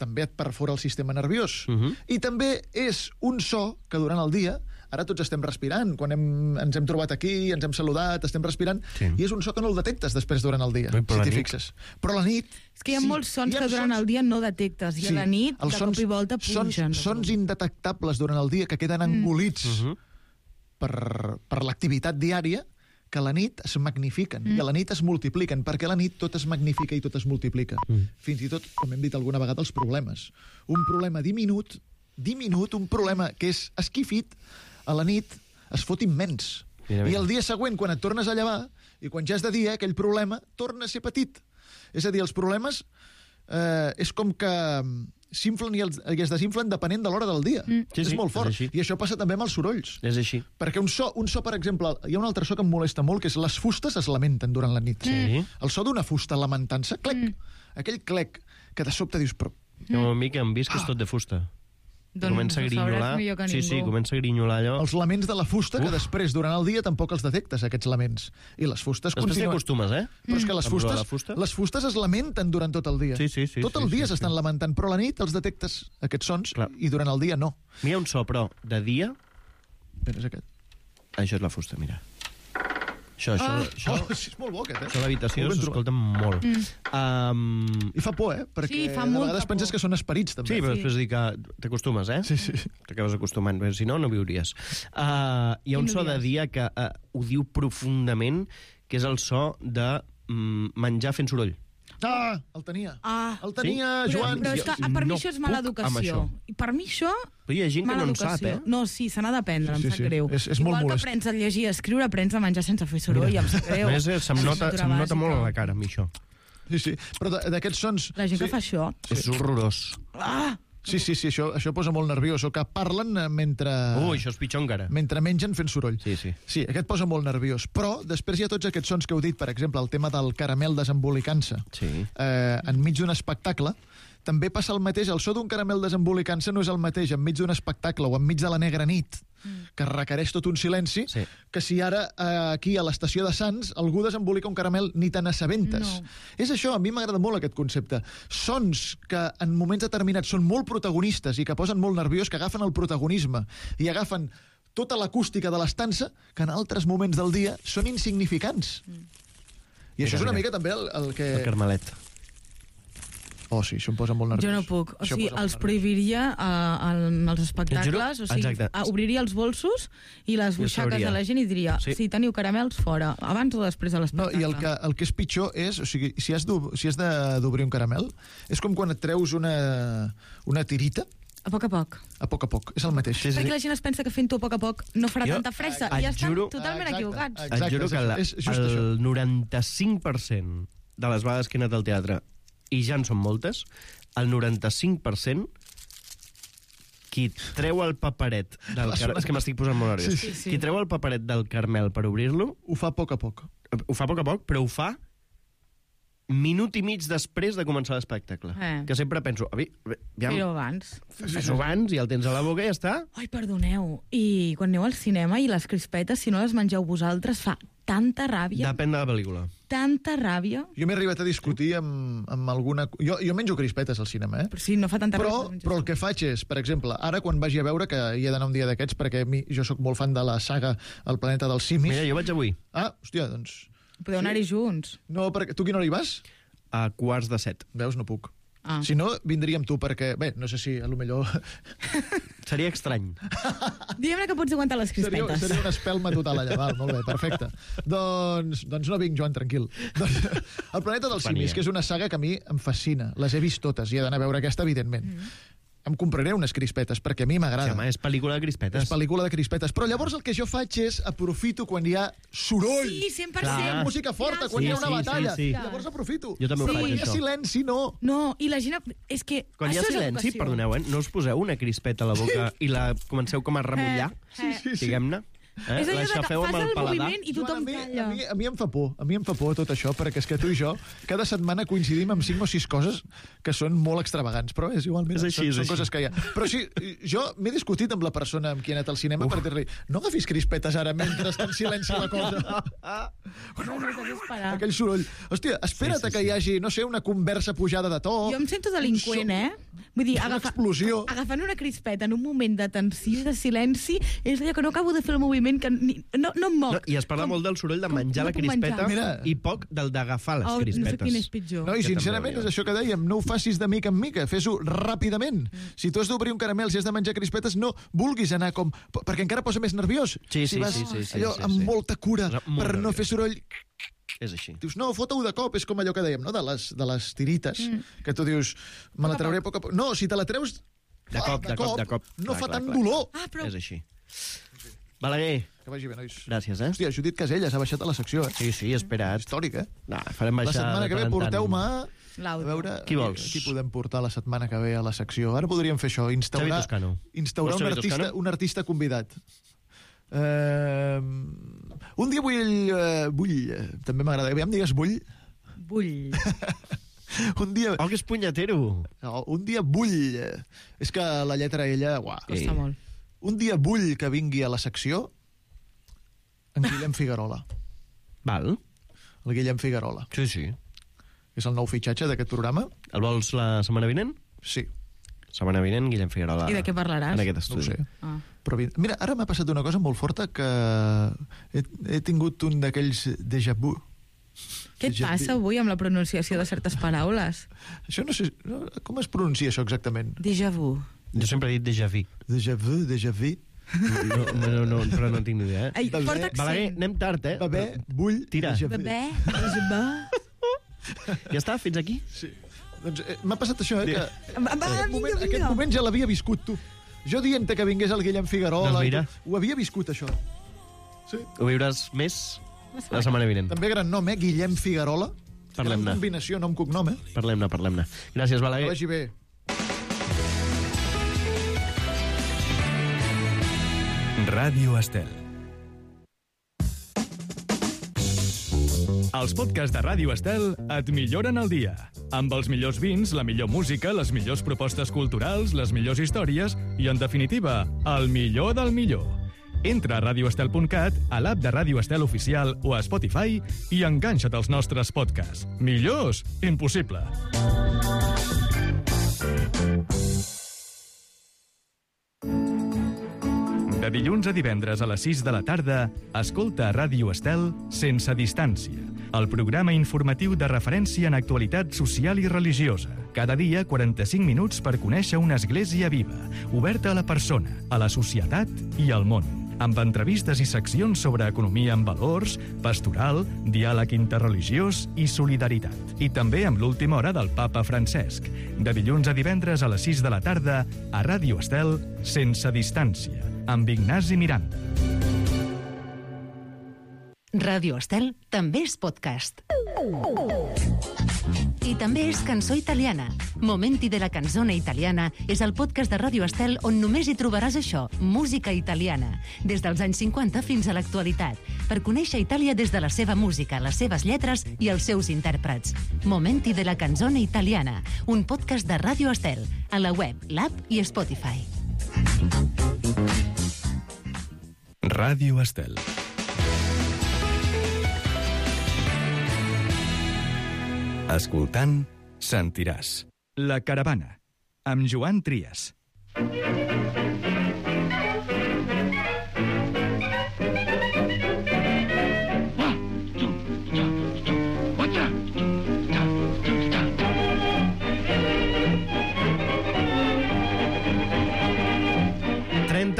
també et perfora el sistema nerviós. I també és un so que durant el dia, ara tots estem respirant, quan ens hem trobat aquí, ens hem saludat, estem respirant, i és un so que no el detectes després durant el dia, si t'hi fixes. Però a la nit... És que hi ha molts sons que durant el dia no detectes, i a la nit, de cop i volta, pugen. Sons indetectables durant el dia que queden engolits per l'activitat diària, que a la nit es magnifiquen, i a la nit es multipliquen, perquè a la nit tot es magnifica i tot es multiplica. Fins i tot, com hem dit alguna vegada, els problemes. Un problema diminut, un problema que és esquifit, a la nit es fot immens. I el dia següent, quan et tornes a llevar, i quan ja és de dia, aquell problema torna a ser petit. És a dir, els problemes és com que s'inflen i es desinflen depenent de l'hora del dia. És molt fort. I això passa també amb els sorolls. És així. Perquè un so, per exemple, hi ha un altre so que em molesta molt, que és les fustes es lamenten durant la nit. El so d'una fusta lamentant-se, clec, aquell clec, que de sobte dius... A mi que em vist que és tot de fusta. Comença a grinyolar. Sí, comença a grinyolar allò. Els laments de la fusta, que després, durant el dia, tampoc els detectes, aquests laments. I les fustes continuen... Després t'hi acostumes, Però és que les fustes es lamenten durant tot el dia. Tot el dia s'estan lamentant, però a la nit els detectes, aquests sons, i durant el dia no. Hi ha un so, però, de dia... És aquest. Això és la fusta, mira. Això, és molt bo, aquest, Això a l'habitació s'escolta molt. I fa por, perquè de vegades penses que són esperits, també. Sí, però després dic que t'acostumes, Sí. T'acabes acostumant, si no, no viuries. Hi ha un so de dia que ho diu profundament, que és el so de menjar fent soroll. El tenia. El tenia, Joan. Però és que per mi això és mala educació. I per mi això... Però hi ha gent que no en sap, No, sí, se n'ha d'aprendre, em sap greu. És molt Igual que molest. aprens a llegir i a escriure, aprens a menjar sense fer soroll, em sap greu. Se'm nota molt a la cara, a mi, això. Sí, però d'aquests sons... La gent que fa això... És horrorós. Sí, això posa molt nerviós, o que parlen mentre... Això és pitjor encara. Mentre mengen fent soroll. Sí, aquest posa molt nerviós. Però després hi ha tots aquests sons que heu dit, per exemple, el tema del caramel desembolicant-se enmig d'un espectacle. També passa el mateix, el so d'un caramel desembolicant-se no és el mateix enmig d'un espectacle o enmig de la negra nit, que requereix tot un silenci, que si ara aquí a l'estació de Sants algú desembolica un caramel ni te n'assabentes. És això, a mi m'agrada molt aquest concepte. Sons que en moments determinats són molt protagonistes i que posen molt nerviós, que agafen el protagonisme i agafen tota l'acústica de l'estança, que en altres moments del dia són insignificants. I això és una mica també el que... El carmelet. Sí, això em posa molt nerviós. Jo no puc. O sigui, els prohibiria en els espectacles, o sigui, obriria els bolsos i les butxaques de la gent i diria, si teniu caramels, fora, abans o després de l'espectacle. I el que és pitjor és, o sigui, si has d'obrir un caramel, és com quan et treus una tirita. A poc a poc. A poc a poc, és el mateix. Perquè la gent es pensa que fent-ho a poc a poc no farà tanta fressa i estan totalment equivocats. Et juro que el 95% de les vegades que he anat al teatre, i ja en són moltes, el 95% qui treu el paperet del carmel... És que m'estic posant molt nerviós. Sí. Qui treu el paperet del carmel per obrir-lo... Ho fa a poc a poc. Ho fa a poc a poc, però ho fa minut i mig després de començar l'espectacle. Que sempre penso... Però abans. Fes-ho abans i el tens a la boca i ja està. Ai, perdoneu. I quan aneu al cinema i les crispetes, si no les mengeu vosaltres, fa tanta ràbia. Depèn de la pel·lícula. Tanta ràbia. Jo m'he arribat a discutir amb alguna... Jo menjo crispetes al cinema, Però sí, no fa tanta ràbia. Però el que faig és, per exemple, ara quan vagi a veure, que hi he d'anar un dia d'aquests, perquè jo sóc molt fan de la saga El planeta dels simis... Mira, jo vaig avui. Hòstia, doncs... Podeu anar-hi junts. No, perquè... Tu quina hora hi vas? A 6:45. Veus, no puc. Si no, vindria amb tu, perquè... Bé, no sé si a lo millor... Seria estrany. Diguem-ne que pots aguantar les crispetes. Seria una espelma total allà, val, molt bé, perfecte. Doncs no vinc, Joan, tranquil. Doncs, El planeta dels simis, que és una saga que a mi em fascina. Les he vist totes i he d'anar a veure aquesta, evidentment. Em compraré unes crispetes, perquè a mi m'agrada. Sí, home, és pel·lícula de crispetes. És pel·lícula de crispetes. Però llavors el que jo faig és aprofito quan hi ha soroll. Sí, 100%. Quan hi ha música forta, quan hi ha una batalla. Sí. Llavors aprofito. Jo també ho faig, Quan hi ha silenci, no. No, i la gent... És que quan hi ha silenci, perdoneu, no us poseu una crispeta a la boca i la comenceu com a remullar, diguem-ne? És allò de que fas el moviment i tothom calla. A mi em fa por tot això, perquè és que tu i jo cada setmana coincidim amb 5 o 6 coses que són molt extravagants, però és igualment, són coses que hi ha. Però sí, jo m'he discutit amb la persona amb qui he anat al cinema per dir-li, no agafis crispetes ara mentre està en silenci la cosa. Aquell soroll. Hòstia, espera't que hi hagi, no sé, una conversa pujada de to. Jo em sento delinqüent, Vull dir, agafant una crispeta en un moment de tensió i de silenci és allò que no acabo de fer el moviment que no em moc. I es parla molt del soroll de menjar la crispeta i poc del d'agafar les crispetes. No sé quin és pitjor. No, i sincerament és això que dèiem, no ho facis de mica en mica, fes-ho ràpidament. Si tu has d'obrir un caramel, si has de menjar crispetes, no vulguis anar com... perquè encara posa més nerviós. Sí. Allò amb molta cura per no fer soroll... És així. Dius, no, fota-ho de cop, és com allò que dèiem, no? De les tirites, que tu dius, me la trauré a poc a poc. No, si te la treus de cop. No fa tant dolor. És així. Balaguer. Que vagi bé, nois. Gràcies, Hòstia, Judit Caselles ha baixat a la secció, Sí, espera't. Històric, No, farem baixar... La setmana que ve porteu-me a veure qui vols. Qui podem portar la setmana que ve a la secció. Ara podríem fer això, instaurar un artista convidat. Un dia vull també m'agrada, aviam digues vull un dia... Oh, que és punyatero. Un dia vull... És que la lletra ella... Costa molt. Un dia vull que vingui a la secció en Guillem Figuerola. Val. El Guillem Figuerola. Sí. És el nou fitxatge d'aquest programa. El vols la setmana vinent? Sí. Setmana vinent, Guillem Figuerola. I de què parlaràs? En aquest estudi. No ho sé. Però mira, ara m'ha passat una cosa molt forta que he tingut un d'aquells déjà vu. Què et passa avui amb la pronunciació de certes paraules? Això no sé... Com es pronuncia això exactament? Déjà vu. Jo sempre he dit déjà vu. Déjà vu, déjà vu. No, però no tinc ni idea. Ai, porta accent. Balaguer, anem tard, Bebè, vull... Tira. Bebè, déjà vu. Ja està, fins aquí? Sí. Doncs m'ha passat això, que... Aquest moment ja l'havia viscut, tu. Jo dient-te que vingués el Guillem Figuerola... Doncs mira. Ho havia viscut, això. Sí. Ho viuràs més la setmana vinent. També gran nom, Guillem Figuerola. Parlem-ne. Gran combinació nom-cognom, Parlem-ne. Gràcies, Balaguer. Que vagi bé. Ràdio Estel. Els podcasts de Ràdio Estel et milloren el dia. Amb els millors vins, la millor música, les millors propostes culturals, les millors històries i, en definitiva, el millor del millor. Entra a radioestel.cat, a l'app de Ràdio Estel Oficial o a Spotify i enganxa't als nostres podcasts. Millors? Impossible. De dilluns a divendres a les 6 de la tarda, escolta a Ràdio Estel Sense Distància, el programa informatiu de referència en actualitat social i religiosa. Cada dia, 45 minuts per conèixer una església viva, oberta a la persona, a la societat i al món. Amb entrevistes i seccions sobre economia amb valors, pastoral, diàleg interreligiós i solidaritat. I també amb l'última hora del papa Francesc. De dilluns a divendres a les 6 de la tarda, a Ràdio Estel Sense Distància, amb Ignasi Miranda. Ràdio Estel també és podcast. I també és cançó italiana. Momenti de la canzone italiana és el podcast de Ràdio Estel on només hi trobaràs això, música italiana, des dels anys 50 fins a l'actualitat, per conèixer Itàlia des de la seva música, les seves lletres i els seus intèrprets. Momenti de la canzone italiana, un podcast de Ràdio Estel, a la web, l'app i Spotify. Ràdio Estel. Escoltant, sentiràs. La Caravana, amb Joan Trias.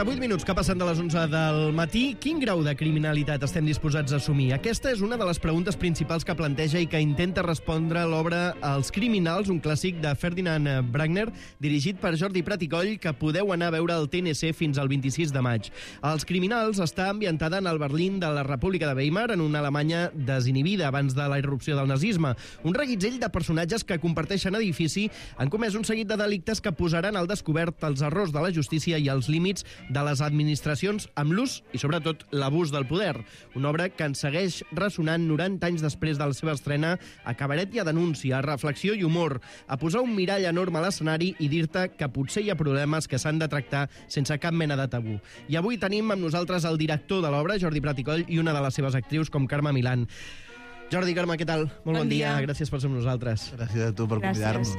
38 minuts que passen de les 11 del matí. Quin grau de criminalitat estem disposats a assumir? Aquesta és una de les preguntes principals que planteja i que intenta respondre l'obra Els criminals, un clàssic de Ferdinand Bruckner, dirigit per Jordi Prat i Coll, que podeu anar a veure al TNC fins al 26 de maig. Els criminals està ambientada en el Berlín de la República de Weimar, en una Alemanya desinhibida abans de la irrupció del nazisme. Un reguitzell de personatges que comparteixen edifici han comès un seguit de delictes que posaran al descobert els errors de la justícia i els límits de les administracions amb l'ús i, sobretot, l'abús del poder. Una obra que ens segueix ressonant 90 anys després de la seva estrena a cabaret i a denúncia, a reflexió i humor, a posar un mirall enorme a l'escenari i dir-te que potser hi ha problemes que s'han de tractar sense cap mena de tabú. I avui tenim amb nosaltres el director de l'obra, Jordi Prat i Coll, i una de les seves actrius, com Carme Milán. Jordi, Carme, què tal? Molt bon dia. Gràcies per ser amb nosaltres. Gràcies a tu per convidar-nos.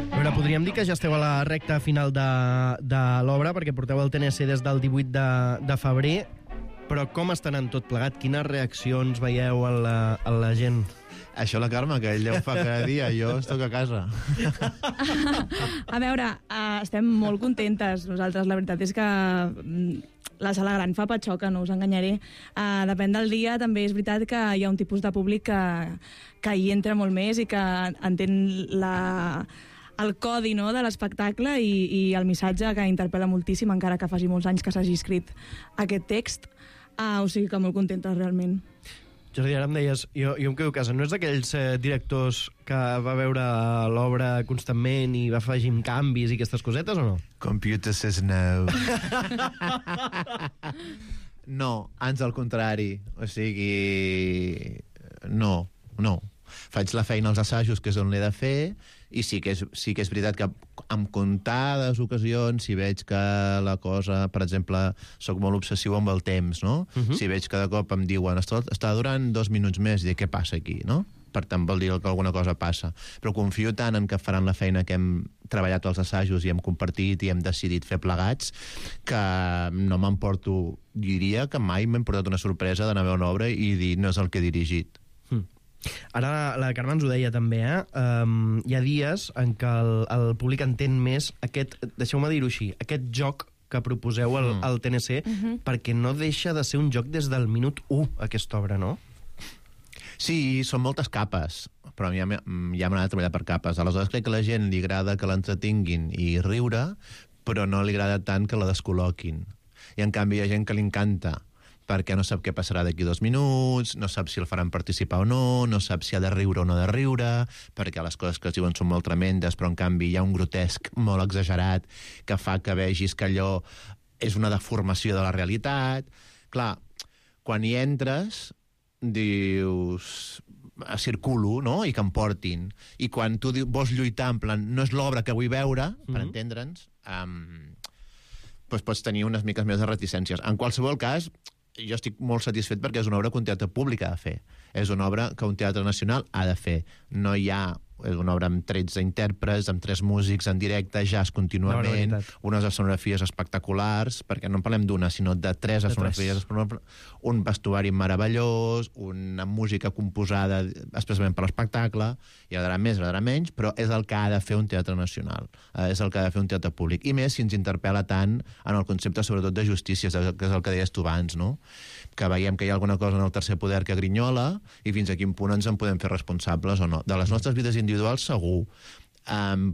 A veure, podríem dir que ja esteu a la recta final de l'obra, perquè porteu el TNC des del 18 de febrer, però com estan en tot plegat? Quines reaccions veieu a la gent? Això la Carme, que ell deu fa cada dia, jo estic a casa. A veure, estem molt contentes nosaltres. La veritat és que la sala gran fa patxoca, no us enganyaré. Depèn del dia, també és veritat que hi ha un tipus de públic que hi entra molt més i que entén el codi, no, de l'espectacle i el missatge, que interpel·la moltíssim, encara que faci molts anys que s'hagi escrit aquest text. O sigui que molt contentes, realment. Jordi, ara em deies, jo em quedo a casa, no és d'aquells directors que va veure l'obra constantment i va afegint canvis i aquestes cosetes, o no? Computer says no. No, ans al contrari. O sigui, no. Faig la feina als assajos, que és on l'he de fer, i sí que és veritat que en comptades ocasions, si veig que la cosa, per exemple, soc molt obsessiu amb el temps, no? Si veig que de cop em diuen està durant 2 minuts més, i dic, què passa aquí, no? Per tant, vol dir que alguna cosa passa. Però confio tant en que faran la feina que hem treballat als assajos i hem compartit i hem decidit fer plegats, que no m'emporto, diria que mai m'he portat una sorpresa d'anar a veure una obra i dir, no és el que he dirigit. Ara la Carme ens ho deia també, hi ha dies en què el públic entén més aquest, deixeu-me dir-ho així, aquest joc que proposeu al TNC, perquè no deixa de ser un joc des del minut 1, aquesta obra, no? Sí, són moltes capes, però ja m'han anat a treballar per capes. Aleshores crec que a la gent li agrada que l'entretinguin i riure, però no li agrada tant que la descol·loquin. I en canvi hi ha gent que li encanta, perquè no sap què passarà d'aquí 2 minuts, no sap si el faran participar o no sap si ha de riure o no de riure, perquè les coses que es diuen són molt tremendes, però en canvi hi ha un grotesc molt exagerat que fa que vegis que allò és una deformació de la realitat. Clar, quan hi entres, dius circulo, no?, i que em portin. I quan tu vols lluitar en plan, no és l'obra que vull veure, per entendre'ns, doncs pots tenir unes miques més de reticències. En qualsevol cas, jo estic molt satisfet perquè és una obra que un teatre públic ha de fer. És una obra que un teatre nacional ha de fer. No hi ha... És una obra amb 13 intèrprets, amb 3 músics en directe, jazz contínuament, unes escenografies espectaculars, perquè no en parlem d'una, sinó de 3 escenografies, un vestuari meravellós, una música composada especialment per l'espectacle, i agradarà més, agradarà menys, però és el que ha de fer un teatre nacional, és el que ha de fer un teatre públic. I més si ens interpel·la tant en el concepte, sobretot, de justícia, que és el que deies tu abans, no?, que veiem que hi ha alguna cosa en el tercer poder que grinyola i fins a quin punt ens en podem fer responsables o no. De les nostres vides individuals, segur,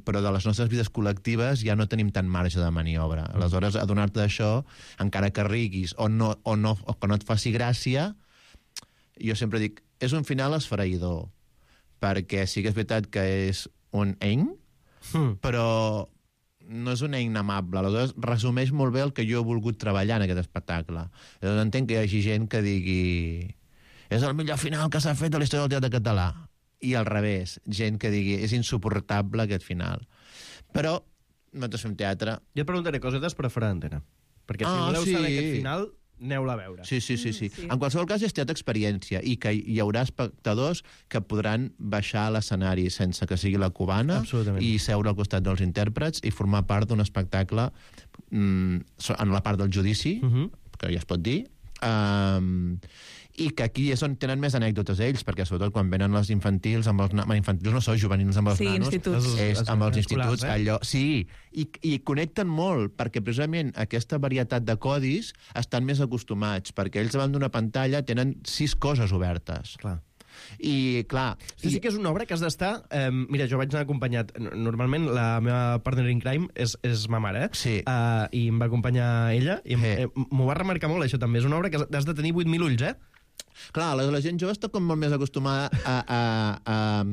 però de les nostres vides col·lectives ja no tenim tant marge de maniobra. Aleshores, adonar-te d'això, encara que riguis o que no et faci gràcia, jo sempre dic, és un final esfereïdor, perquè sí que és veritat que és un però no és un eina amable. Aleshores, resumeix molt bé el que jo he volgut treballar en aquest espectacle. Llavors, entenc que hi hagi gent que digui és el millor final que s'ha fet a la història del teatre català. I al revés, gent que digui és insuportable aquest final. Però nosaltres fem teatre. Jo et preguntaré cosetes per a fora d'antena. Perquè si voleu saber aquest final, aneu-la a veure. Sí. En qualsevol cas és teatre experiència i que hi haurà espectadors que podran baixar a l'escenari sense que sigui la cubana i seure al costat dels intèrprets i formar part d'un espectacle en la part del judici, que ja es pot dir, i que aquí és on tenen més anècdotes ells, perquè sobretot quan venen les infantils, infantils no són juvenils amb els nanos, amb els instituts, allò, sí, i connecten molt, perquè precisament aquesta varietat de codis estan més acostumats, perquè ells davant d'una pantalla tenen 6 coses obertes. Clar. I, clar... Sí que és una obra que has d'estar... mira, jo vaig anar acompanyat... Normalment la meva partner in crime és ma mare, sí. I em va acompanyar ella, i m'ho va remarcar molt, això també. És una obra que has de tenir 8.000 ulls, Clar, la gent jove està com molt més acostumada a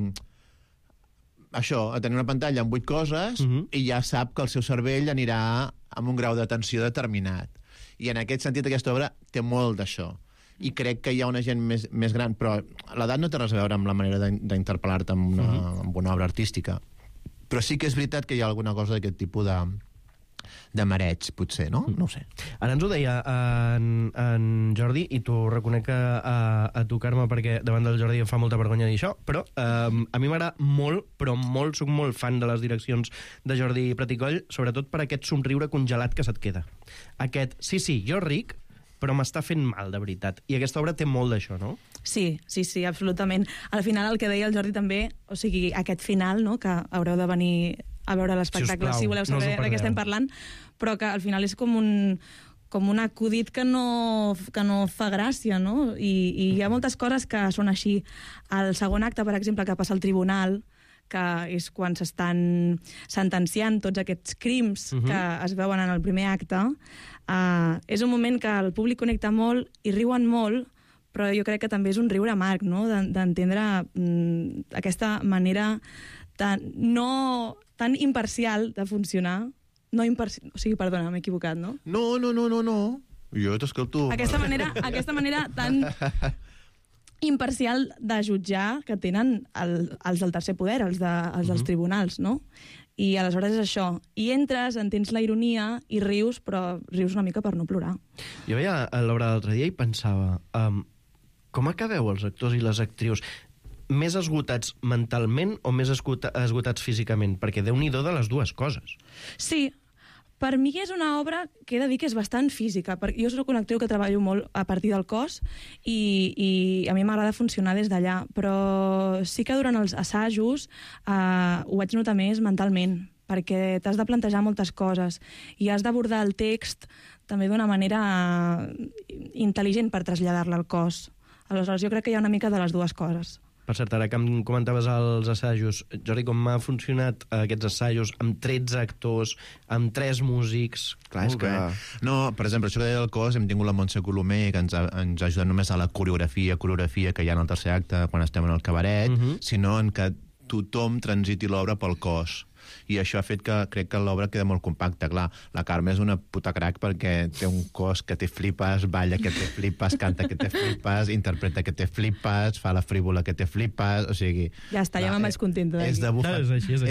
tenir una pantalla amb 8 coses i ja sap que el seu cervell anirà amb un grau d'atenció determinat. I en aquest sentit aquesta obra té molt d'això. I crec que hi ha una gent més gran, però l'edat no té res a veure amb la manera d'interpel·lar-te amb una obra artística. Però sí que és veritat que hi ha alguna cosa d'aquest tipus de mareig, potser, no? No ho sé. Ara ens ho deia en Jordi, i t'ho reconec a tu, Carme, perquè davant del Jordi em fa molta vergonya dir això, però a mi m'agrada molt, però molt, soc molt fan de les direccions de Jordi Praticoll, sobretot per aquest somriure congelat que se't queda. Aquest, sí, jo ric, però m'està fent mal, de veritat. I aquesta obra té molt d'això, no? Sí, absolutament. Al final, el que deia el Jordi també, o sigui, aquest final, no?, que haureu de venir a veure l'espectacle, si voleu saber de què estem parlant, però que al final és com un acudit que no fa gràcia, no? I hi ha moltes coses que són així. El segon acte, per exemple, que passa al tribunal, que és quan s'estan sentenciant tots aquests crims que es veuen en el primer acte, és un moment que el públic connecta molt i riuen molt, però jo crec que també és un riure amarg, no?, d'entendre aquesta manera tan imparcial de funcionar. O sigui, perdona, m'he equivocat, no? No. Jo t'escolto. Aquesta manera tan imparcial de jutjar que tenen els del tercer poder, els dels tribunals, no? I aleshores és això. I entres, entens la ironia i rius, però rius una mica per no plorar. Jo veia l'obra l'altre dia i pensava, com acabeu els actors i les actrius? Més esgotats mentalment o més esgotats físicament? Perquè Déu-n'hi-do de les dues coses. Sí, per mi és una obra que he de dir que és bastant física. Jo soc una actriu que treballo molt a partir del cos i a mi m'agrada funcionar des d'allà, però sí que durant els assajos ho vaig notar més mentalment, perquè t'has de plantejar moltes coses i has d'abordar el text també d'una manera intel·ligent per traslladar-la al cos. Aleshores, jo crec que hi ha una mica de les dues coses. Per cert, ara que em comentaves els assajos, Jordi, com m'ha funcionat aquests assajos amb 13 actors, amb 3 músics? Clar, és que... No, per exemple, això que deia del cos, hem tingut la Montse Colomer, que ens ha ajudat només a la coreografia que hi ha en el tercer acte, quan estem en el cabaret, sinó en que tothom transiti l'obra pel cos. I això ha fet que crec que l'obra queda molt compacta. Clar, la Carme és una puta crac perquè té un cos que te flipes, balla que te flipes, canta que te flipes, interpreta que te flipes, fa la frívola que te flipes, o sigui... Ja està, ja me'n vaig contenta d'aquí.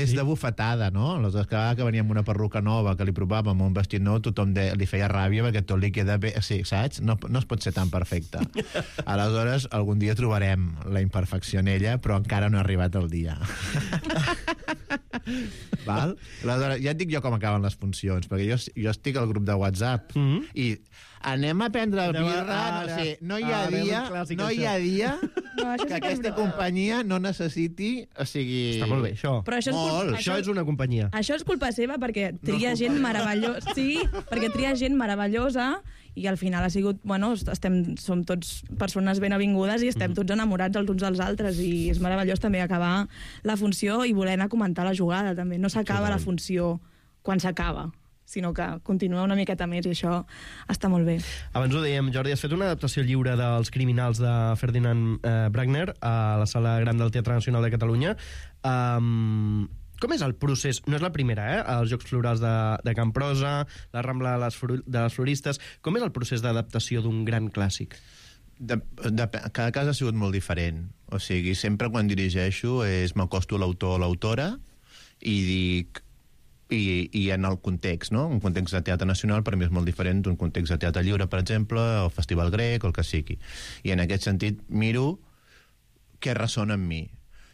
És de bufetada, no? Aleshores, cada vegada que venia amb una perruca nova, que li provàvem un vestit nou, tothom li feia ràbia perquè tot li queda bé... Sí, saps? No es pot ser tan perfecte. Aleshores, algun dia trobarem la imperfecció en ella, però encara no ha arribat el dia. Val? Aleshores, ja et dic jo com acaben les funcions, perquè jo estic al grup de WhatsApp i anem a prendre el birra, no hi ha dia que aquesta companyia no necessiti, o sigui... Està molt bé, això. Però això és una companyia. Això és culpa seva perquè tria gent meravellosa. Sí, perquè tria gent meravellosa i al final ha sigut, bueno, som tots persones ben avingudes i estem tots enamorats els uns dels altres i és meravellós també acabar la funció i voler anar a comentar la jugada també. No s'acaba la funció quan s'acaba, sinó que continua una miqueta més i això està molt bé. Abans ho dèiem, Jordi, has fet una adaptació lliure dels Criminals de Ferdinand Bruckner a la Sala Gran del Teatre Nacional de Catalunya. Com és el procés? No és la primera, Els Jocs Florals de Can Prosa, la Rambla de les Floristes. Com és el procés d'adaptació d'un gran clàssic? Cada cas ha sigut molt diferent. O sigui, sempre quan dirigeixo m'acosto a l'autor o l'autora i dic... I en el context, no? Un context de teatre nacional per mi és molt diferent d'un context de teatre lliure, per exemple, o Festival Grec, o el que sigui. I en aquest sentit miro què ressona amb mi.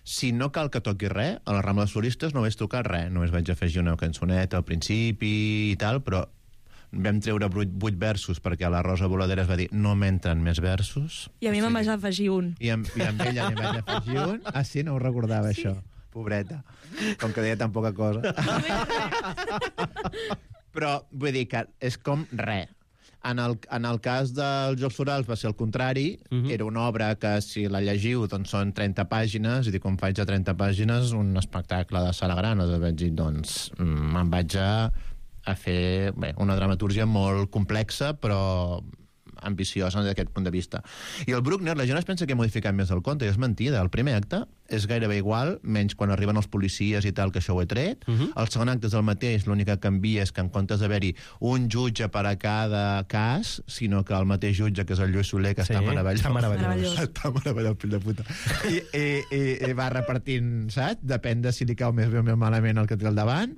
Si no cal que toqui res, a la Rambla dels Floristes no vaig tocar res, només vaig afegir una cançoneta al principi i tal, però vam treure 8 versos perquè la Rosa Voladera es va dir no m'entren més versos. I a mi me'n vaig afegir un. I amb ella n'hi vaig afegir un. Ah, sí? No ho recordava, això. Pobreta. Com que deia tan poca cosa. Però vull dir que és com res. En el cas dels Jocs Florals va ser el contrari. Era una obra que, si la llegiu, doncs són 30 pàgines, i com faig a 30 pàgines un espectacle de sala gran, vaig dir, doncs, me'n vaig a fer una dramatúrgia molt complexa, però ambiciosa d'aquest punt de vista. I el Bruckner, la gent es pensa que ha modificat més el conte, i és mentida. El primer acte és gairebé igual, menys quan arriben els policies i tal, que això ho he tret. El segon acte és el mateix, l'únic que canvia és que en comptes d'haver-hi un jutge per a cada cas, sinó que el mateix jutge, que és el Lluís Soler, que està meravellós. Està meravellós, fill de puta. I va repartint, saps? Depèn de si li cau més bé o més malament el que té al davant.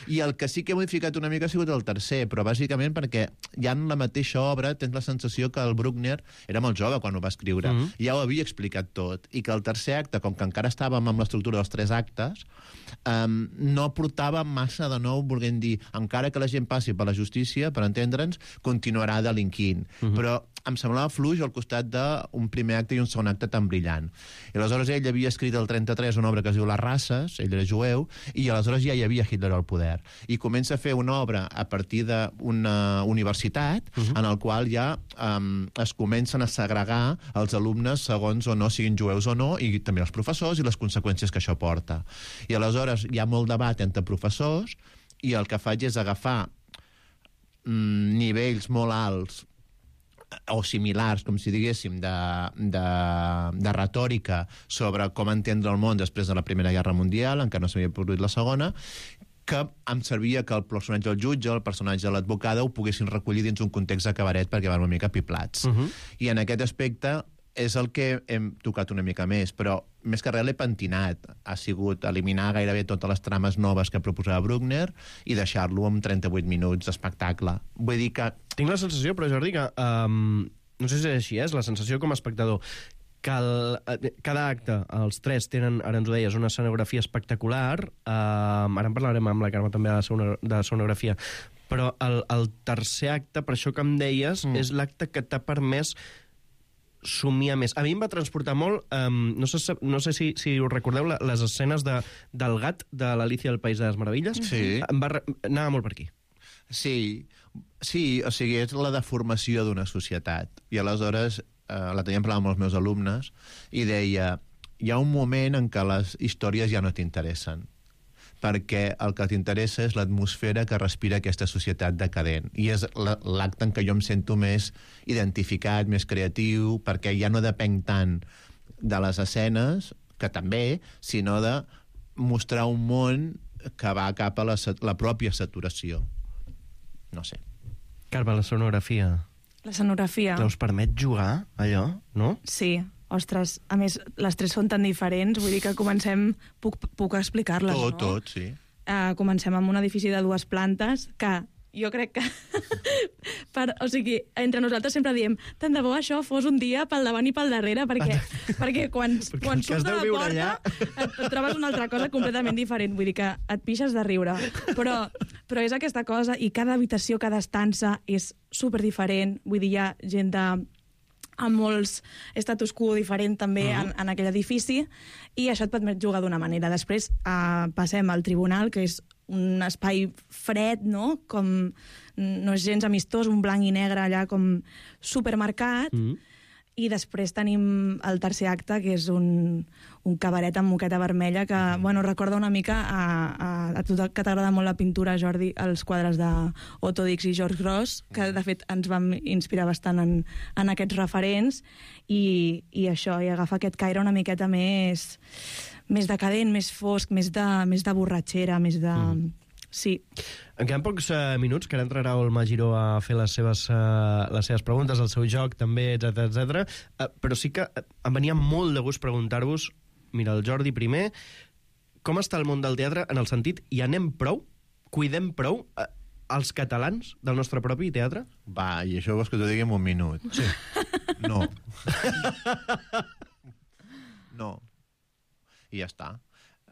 I el que sí que he modificat una mica ha sigut el tercer, però bàsicament perquè ja en la mateixa obra tens la sensació que el Bruckner era molt jove quan ho va escriure. Ja ho havia explicat tot. I que el tercer acte, com que encara estàvem amb l'estructura dels 3 actes, no portava massa de nou, volent dir, encara que la gent passi per la justícia, per entendre'ns, continuarà delinquint. Però em semblava fluix al costat d'un primer acte i un segon acte tan brillant. I aleshores ell havia escrit el 33 una obra que es diu Les races, ell era jueu, i aleshores ja hi havia Hitler al poder. I comença a fer una obra a partir d'una universitat en el qual ja es comencen a segregar els alumnes segons o no siguin jueus o no, i també els professors i les conseqüències que això porta. I aleshores hi ha molt debat entre professors, i el que faig és agafar nivells molt alts o similars, com si diguéssim, de retòrica sobre com entendre el món després de la Primera Guerra Mundial, encara no s'havia produït la segona, que em servia que el personatge del jutge, el personatge de l'advocada, ho poguessin recollir dins un context de cabaret perquè van una mica piplats. I en aquest aspecte és el que hem tocat una mica més, però més que res l'he pentinat. Ha sigut eliminar gairebé totes les trames noves que proposava Bruckner i deixar-lo amb 38 minuts d'espectacle. Vull dir que... Tinc la sensació, però Jordi, que no sé si és així, és la sensació com a espectador, que cada acte, els 3 tenen, ara ens ho deies, una escenografia espectacular. Ara en parlarem amb la Carme també de sonografia, però el tercer acte, per això que em deies, és l'acte que t'ha permès somia més. A mi em va transportar molt, no sé si us recordeu les escenes del gat de l'Alicia del País de les Meravelles. Sí. Anava molt per aquí. Sí, o sigui, és la deformació d'una societat. I aleshores la teníem parlant amb els meus alumnes i deia, hi ha un moment en què les històries ja no t'interessen, perquè el que t'interessa és l'atmosfera que respira aquesta societat decadent. I és l'acte en què jo em sento més identificat, més creatiu, perquè ja no depenc tant de les escenes, que també, sinó de mostrar un món que va cap a la pròpia saturació. No sé. Carme, la sonografia. La sonografia. Que us permet jugar, allò, no? Sí. Ostres, a més, les 3 són tan diferents, vull dir que comencem... Puc explicar-les, no? Tot, sí. Comencem amb un edifici de 2 plantes que jo crec que... o sigui, entre nosaltres sempre diem tant de bo això fos un dia pel davant i pel darrere, perquè quan surts de la porta et trobes una altra cosa completament diferent. Vull dir que et pixes de riure. Però és aquesta cosa, i cada habitació, cada estança és superdiferent. Vull dir, hi ha gent amb molts status quo diferent també en aquell edifici, i això et permet jugar d'una manera. Després passem al tribunal, que és un espai fred, no? Com no és gens amistós, un blanc i negre allà com supermarcat, i després tenim el tercer acte, que és un cabaret amb moqueta vermella que, bueno, recorda una mica a tu que t'agrada molt la pintura, Jordi, els quadres d'Otto Dix i George Grosz, que de fet ens vam inspirar bastant en aquests referents, i això, i agafar aquest caire una miqueta més decadent, més fosc, més de borratxera, més de... Sí. En queden pocs minuts, que ara entrarà el Magiró a fer les seves preguntes, el seu joc també, etc. Però sí que em venia molt de gust preguntar-vos, mira, el Jordi primer, com està el món del teatre en el sentit, hi anem prou? Cuidem prou els catalans del nostre propi teatre? Va, i això vols que t'ho digui en un minut? Sí. No. No. I ja està.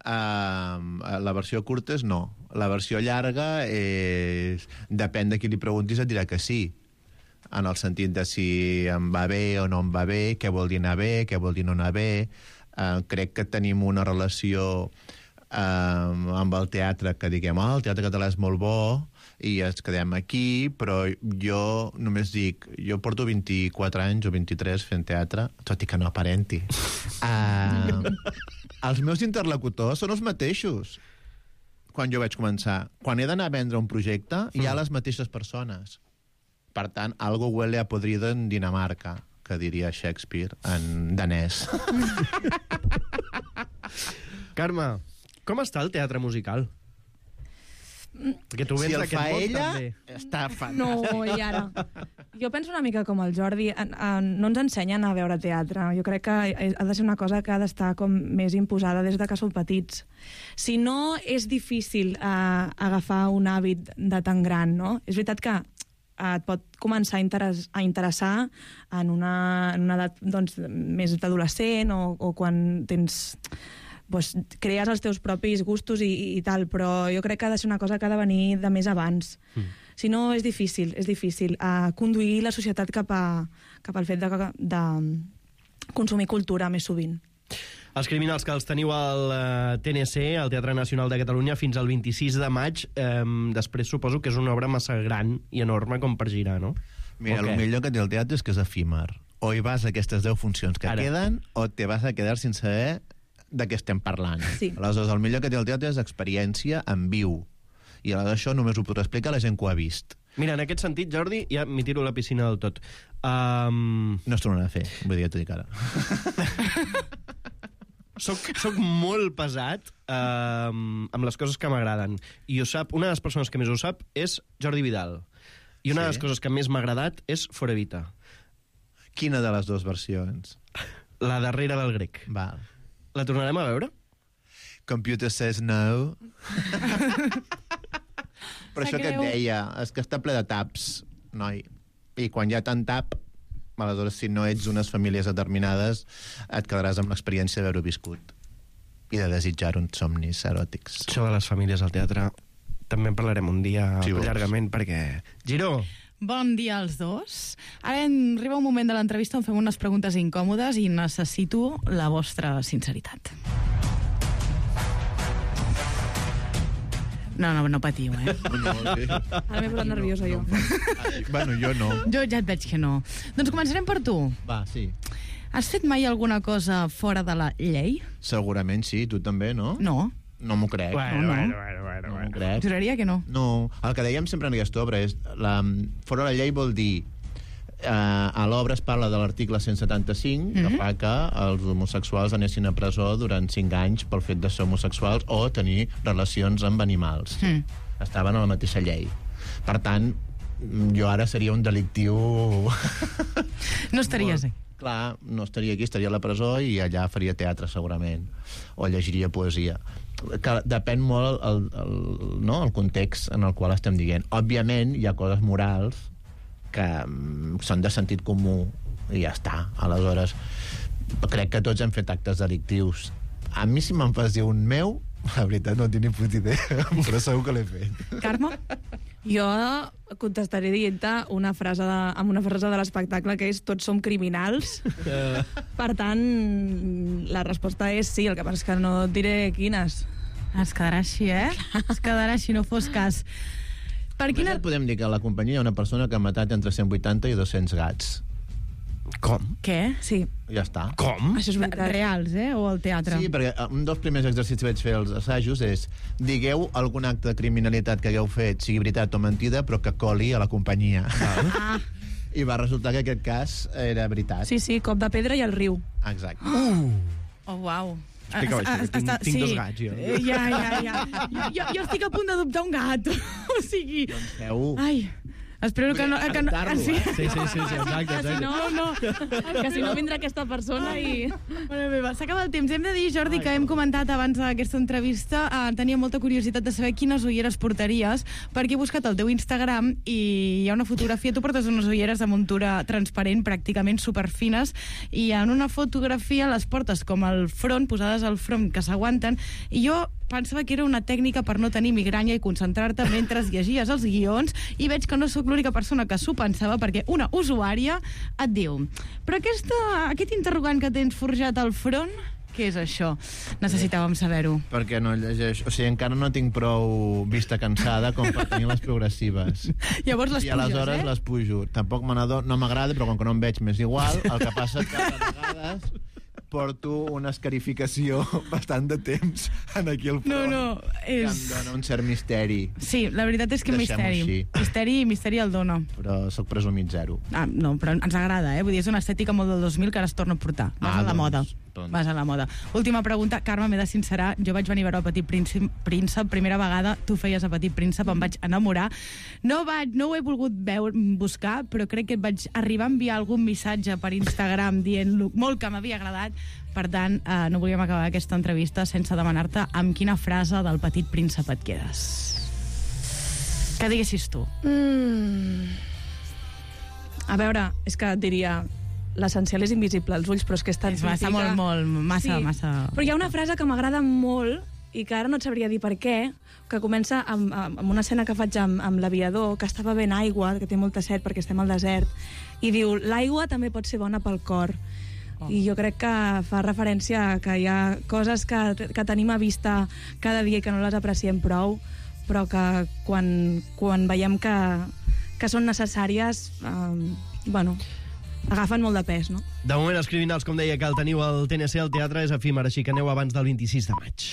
La versió curta és no. La versió llarga és... Depèn de qui li preguntis, et dirà que sí. En el sentit de si em va bé o no em va bé, què vol dir anar bé, què vol dir no anar bé. Crec que tenim una relació amb el teatre que diguem, el teatre català és molt bo i ens quedem aquí, però jo només dic, jo porto 24 anys o 23 fent teatre, tot i que no aparenti. Els meus interlocutors són els mateixos quan jo vaig començar. Quan he d'anar a vendre un projecte, hi ha les mateixes persones. Per tant, algo huele a podrido en Dinamarca, que diria Shakespeare en danès. Carme, com està el teatre musical? Perquè tu vens d'aquest món, ella, també. Està fantàstic. No, i ara... Jo penso una mica com el Jordi, no ens ensenyen a veure teatre. Jo crec que ha de ser una cosa que ha d'estar com més imposada des de que som petits. Si no, és difícil agafar un hàbit de tan gran, no? És veritat que et pot començar a interessar en una edat doncs, més d'adolescent o quan tens... Pues, crees els teus propis gustos i tal, però jo crec que ha de ser una cosa que ha de venir de més abans. Si no, és difícil conduir la societat cap al fet de consumir cultura més sovint. Els Criminals, que els teniu al TNC, al Teatre Nacional de Catalunya, fins al 26 de maig. Després suposo que és una obra massa gran i enorme com per girar, no? Mira, el millor que té el teatre és que és efímer. O hi vas a aquestes 10 funcions que queden, o te vas a quedar sense saber de què estem parlant. Sí. Aleshores, el millor que té el teatre és experiència en viu. I aleshores això només ho podrà explicar la gent que ho ha vist. Mira, en aquest sentit, Jordi, ja m'hi tiro a la piscina del tot. No es tornarà a fer, vull dir, t'ho dic ara. Soc molt pesat amb les coses que m'agraden. I ho sap, una de les persones que més ho sap és Jordi Vidal. I una de les coses que més m'ha agradat és Fora Evita. Quina de les dues versions? La darrera del grec. Val. La tornarem a veure? Computer says no. Però això que et deia, és que està ple de taps, noi. I quan hi ha tant tap, aleshores, si no ets unes famílies determinades, et quedaràs amb l'experiència d'haver-ho viscut i de desitjar uns somnis eròtics. Això de les famílies al teatre també en parlarem un dia llargament, perquè... Giró! Bon dia als dos. Ara arriba un moment de l'entrevista on fem unes preguntes incòmodes i necessito la vostra sinceritat. No patiu, eh? No, sí. Ara m'he posat nerviosa, jo. Bueno, jo no. Jo ja et veig que no. Doncs començarem per tu. Va, sí. Has fet mai alguna cosa fora de la llei? Segurament sí, tu també, no? No. No m'ho crec. Bueno. No m'ho crec. Juraria que no. No, el que dèiem sempre en aquesta obra és fora la llei vol dir a l'obra es parla de l'article 175 que fa que els homosexuals anessin a presó durant 5 anys pel fet de ser homosexuals o tenir relacions amb animals. Estaven a la mateixa llei. Per tant, jo ara seria un delictiu... No estaries aquí. Clar, no estaria aquí, estaria a la presó i allà faria teatre segurament o llegiria poesia. Que depèn molt el context en el qual estem dient. Òbviament hi ha coses morals que són de sentit comú i ja està. Aleshores, crec que tots hem fet actes delictius. A mi, si me'n fas dir un meu, la veritat no en tinc ni puta idea, però segur que l'he fet. Carme? Jo contestaré dient-te amb una frase de l'espectacle que és tots som criminals. Per tant, la resposta és sí, el que passa és que no et diré quines. Es quedarà així, eh? Es quedarà així, no fos cas. Per quina... Podem dir que a la companyia hi ha una persona que ha matat entre 180 i 200 gats. Com? Què? Sí. Ja està. Com? Això és veritat. Reals, eh? O al teatre? Sí, perquè un dels primers exercicis que vaig fer als assajos és digueu algun acte de criminalitat que hagueu fet, sigui veritat o mentida, però que coli a la companyia. I va resultar que aquest cas era veritat. Sí, cop de pedra i al riu. Exacte. Oh, uau. Explica-ho així, tinc 2 gats, jo. Ja. Jo estic a punt d'adoptar un gat. O sigui... Doncs feu... Ai... Espero que no... Sí, exacte. Que si no vindrà aquesta persona i... Bueno, s'acaba el temps. Hem de dir, Jordi, que hem comentat abans d'aquesta entrevista, tenia molta curiositat de saber quines ulleres portaries, perquè he buscat el teu Instagram i hi ha una fotografia, tu portes unes ulleres de muntura transparent, pràcticament superfines, i en una fotografia les portes com al front, posades al front, que s'aguanten, i jo pensava que era una tècnica per no tenir migranya i concentrar-te mentre llegies els guions, i veig que no sóc l'única persona que s'ho pensava, perquè una usuària et diu: però aquest interrogant que tens forjat al front, què és això? Necessitàvem saber-ho. Perquè no llegeix... O sigui, encara no tinc prou vista cansada com per tenir les progressives. Llavors les puges, I aleshores les pujo. Tampoc no m'agrada, però com que no em veig m'és igual, el que passa és que a vegades porto una escarificació bastant de temps en aquí al front. Que em dona un cert misteri. Sí, la veritat és que misteri el dona. Però sóc presumit zero. No, però ens agrada, Vull dir, és una estètica molt del 2000 que ara es torna a portar. Vas a la moda. Vas a la moda. Última pregunta, Carme, m'he de sincerar, jo vaig venir a veure el Petit Príncep, primera vegada, tu feies el Petit Príncep, em vaig enamorar. No ho he volgut buscar, però crec que vaig arribar a enviar algun missatge per Instagram dient-lo molt que m'havia agradat. Per tant, no volíem acabar aquesta entrevista sense demanar-te amb quina frase del Petit Príncep et quedes. Què diguessis tu? A veure, és que et diria... L'essencial és invisible als ulls, però és que és tan massa, massa... Però hi ha una frase que m'agrada molt i que ara no et sabria dir per què, que comença amb una escena que faig amb l'aviador, que està bevent aigua, que té molta set perquè estem al desert, i diu: l'aigua també pot ser bona pel cor. I jo crec que fa referència a que hi ha coses que tenim a vista cada dia i que no les apreciem prou, però que quan veiem que són necessàries, agafen molt de pes, no? De moment, els criminals, com deia, que el teniu al TNC, al teatre és efímer, així que aneu abans del 26 de maig.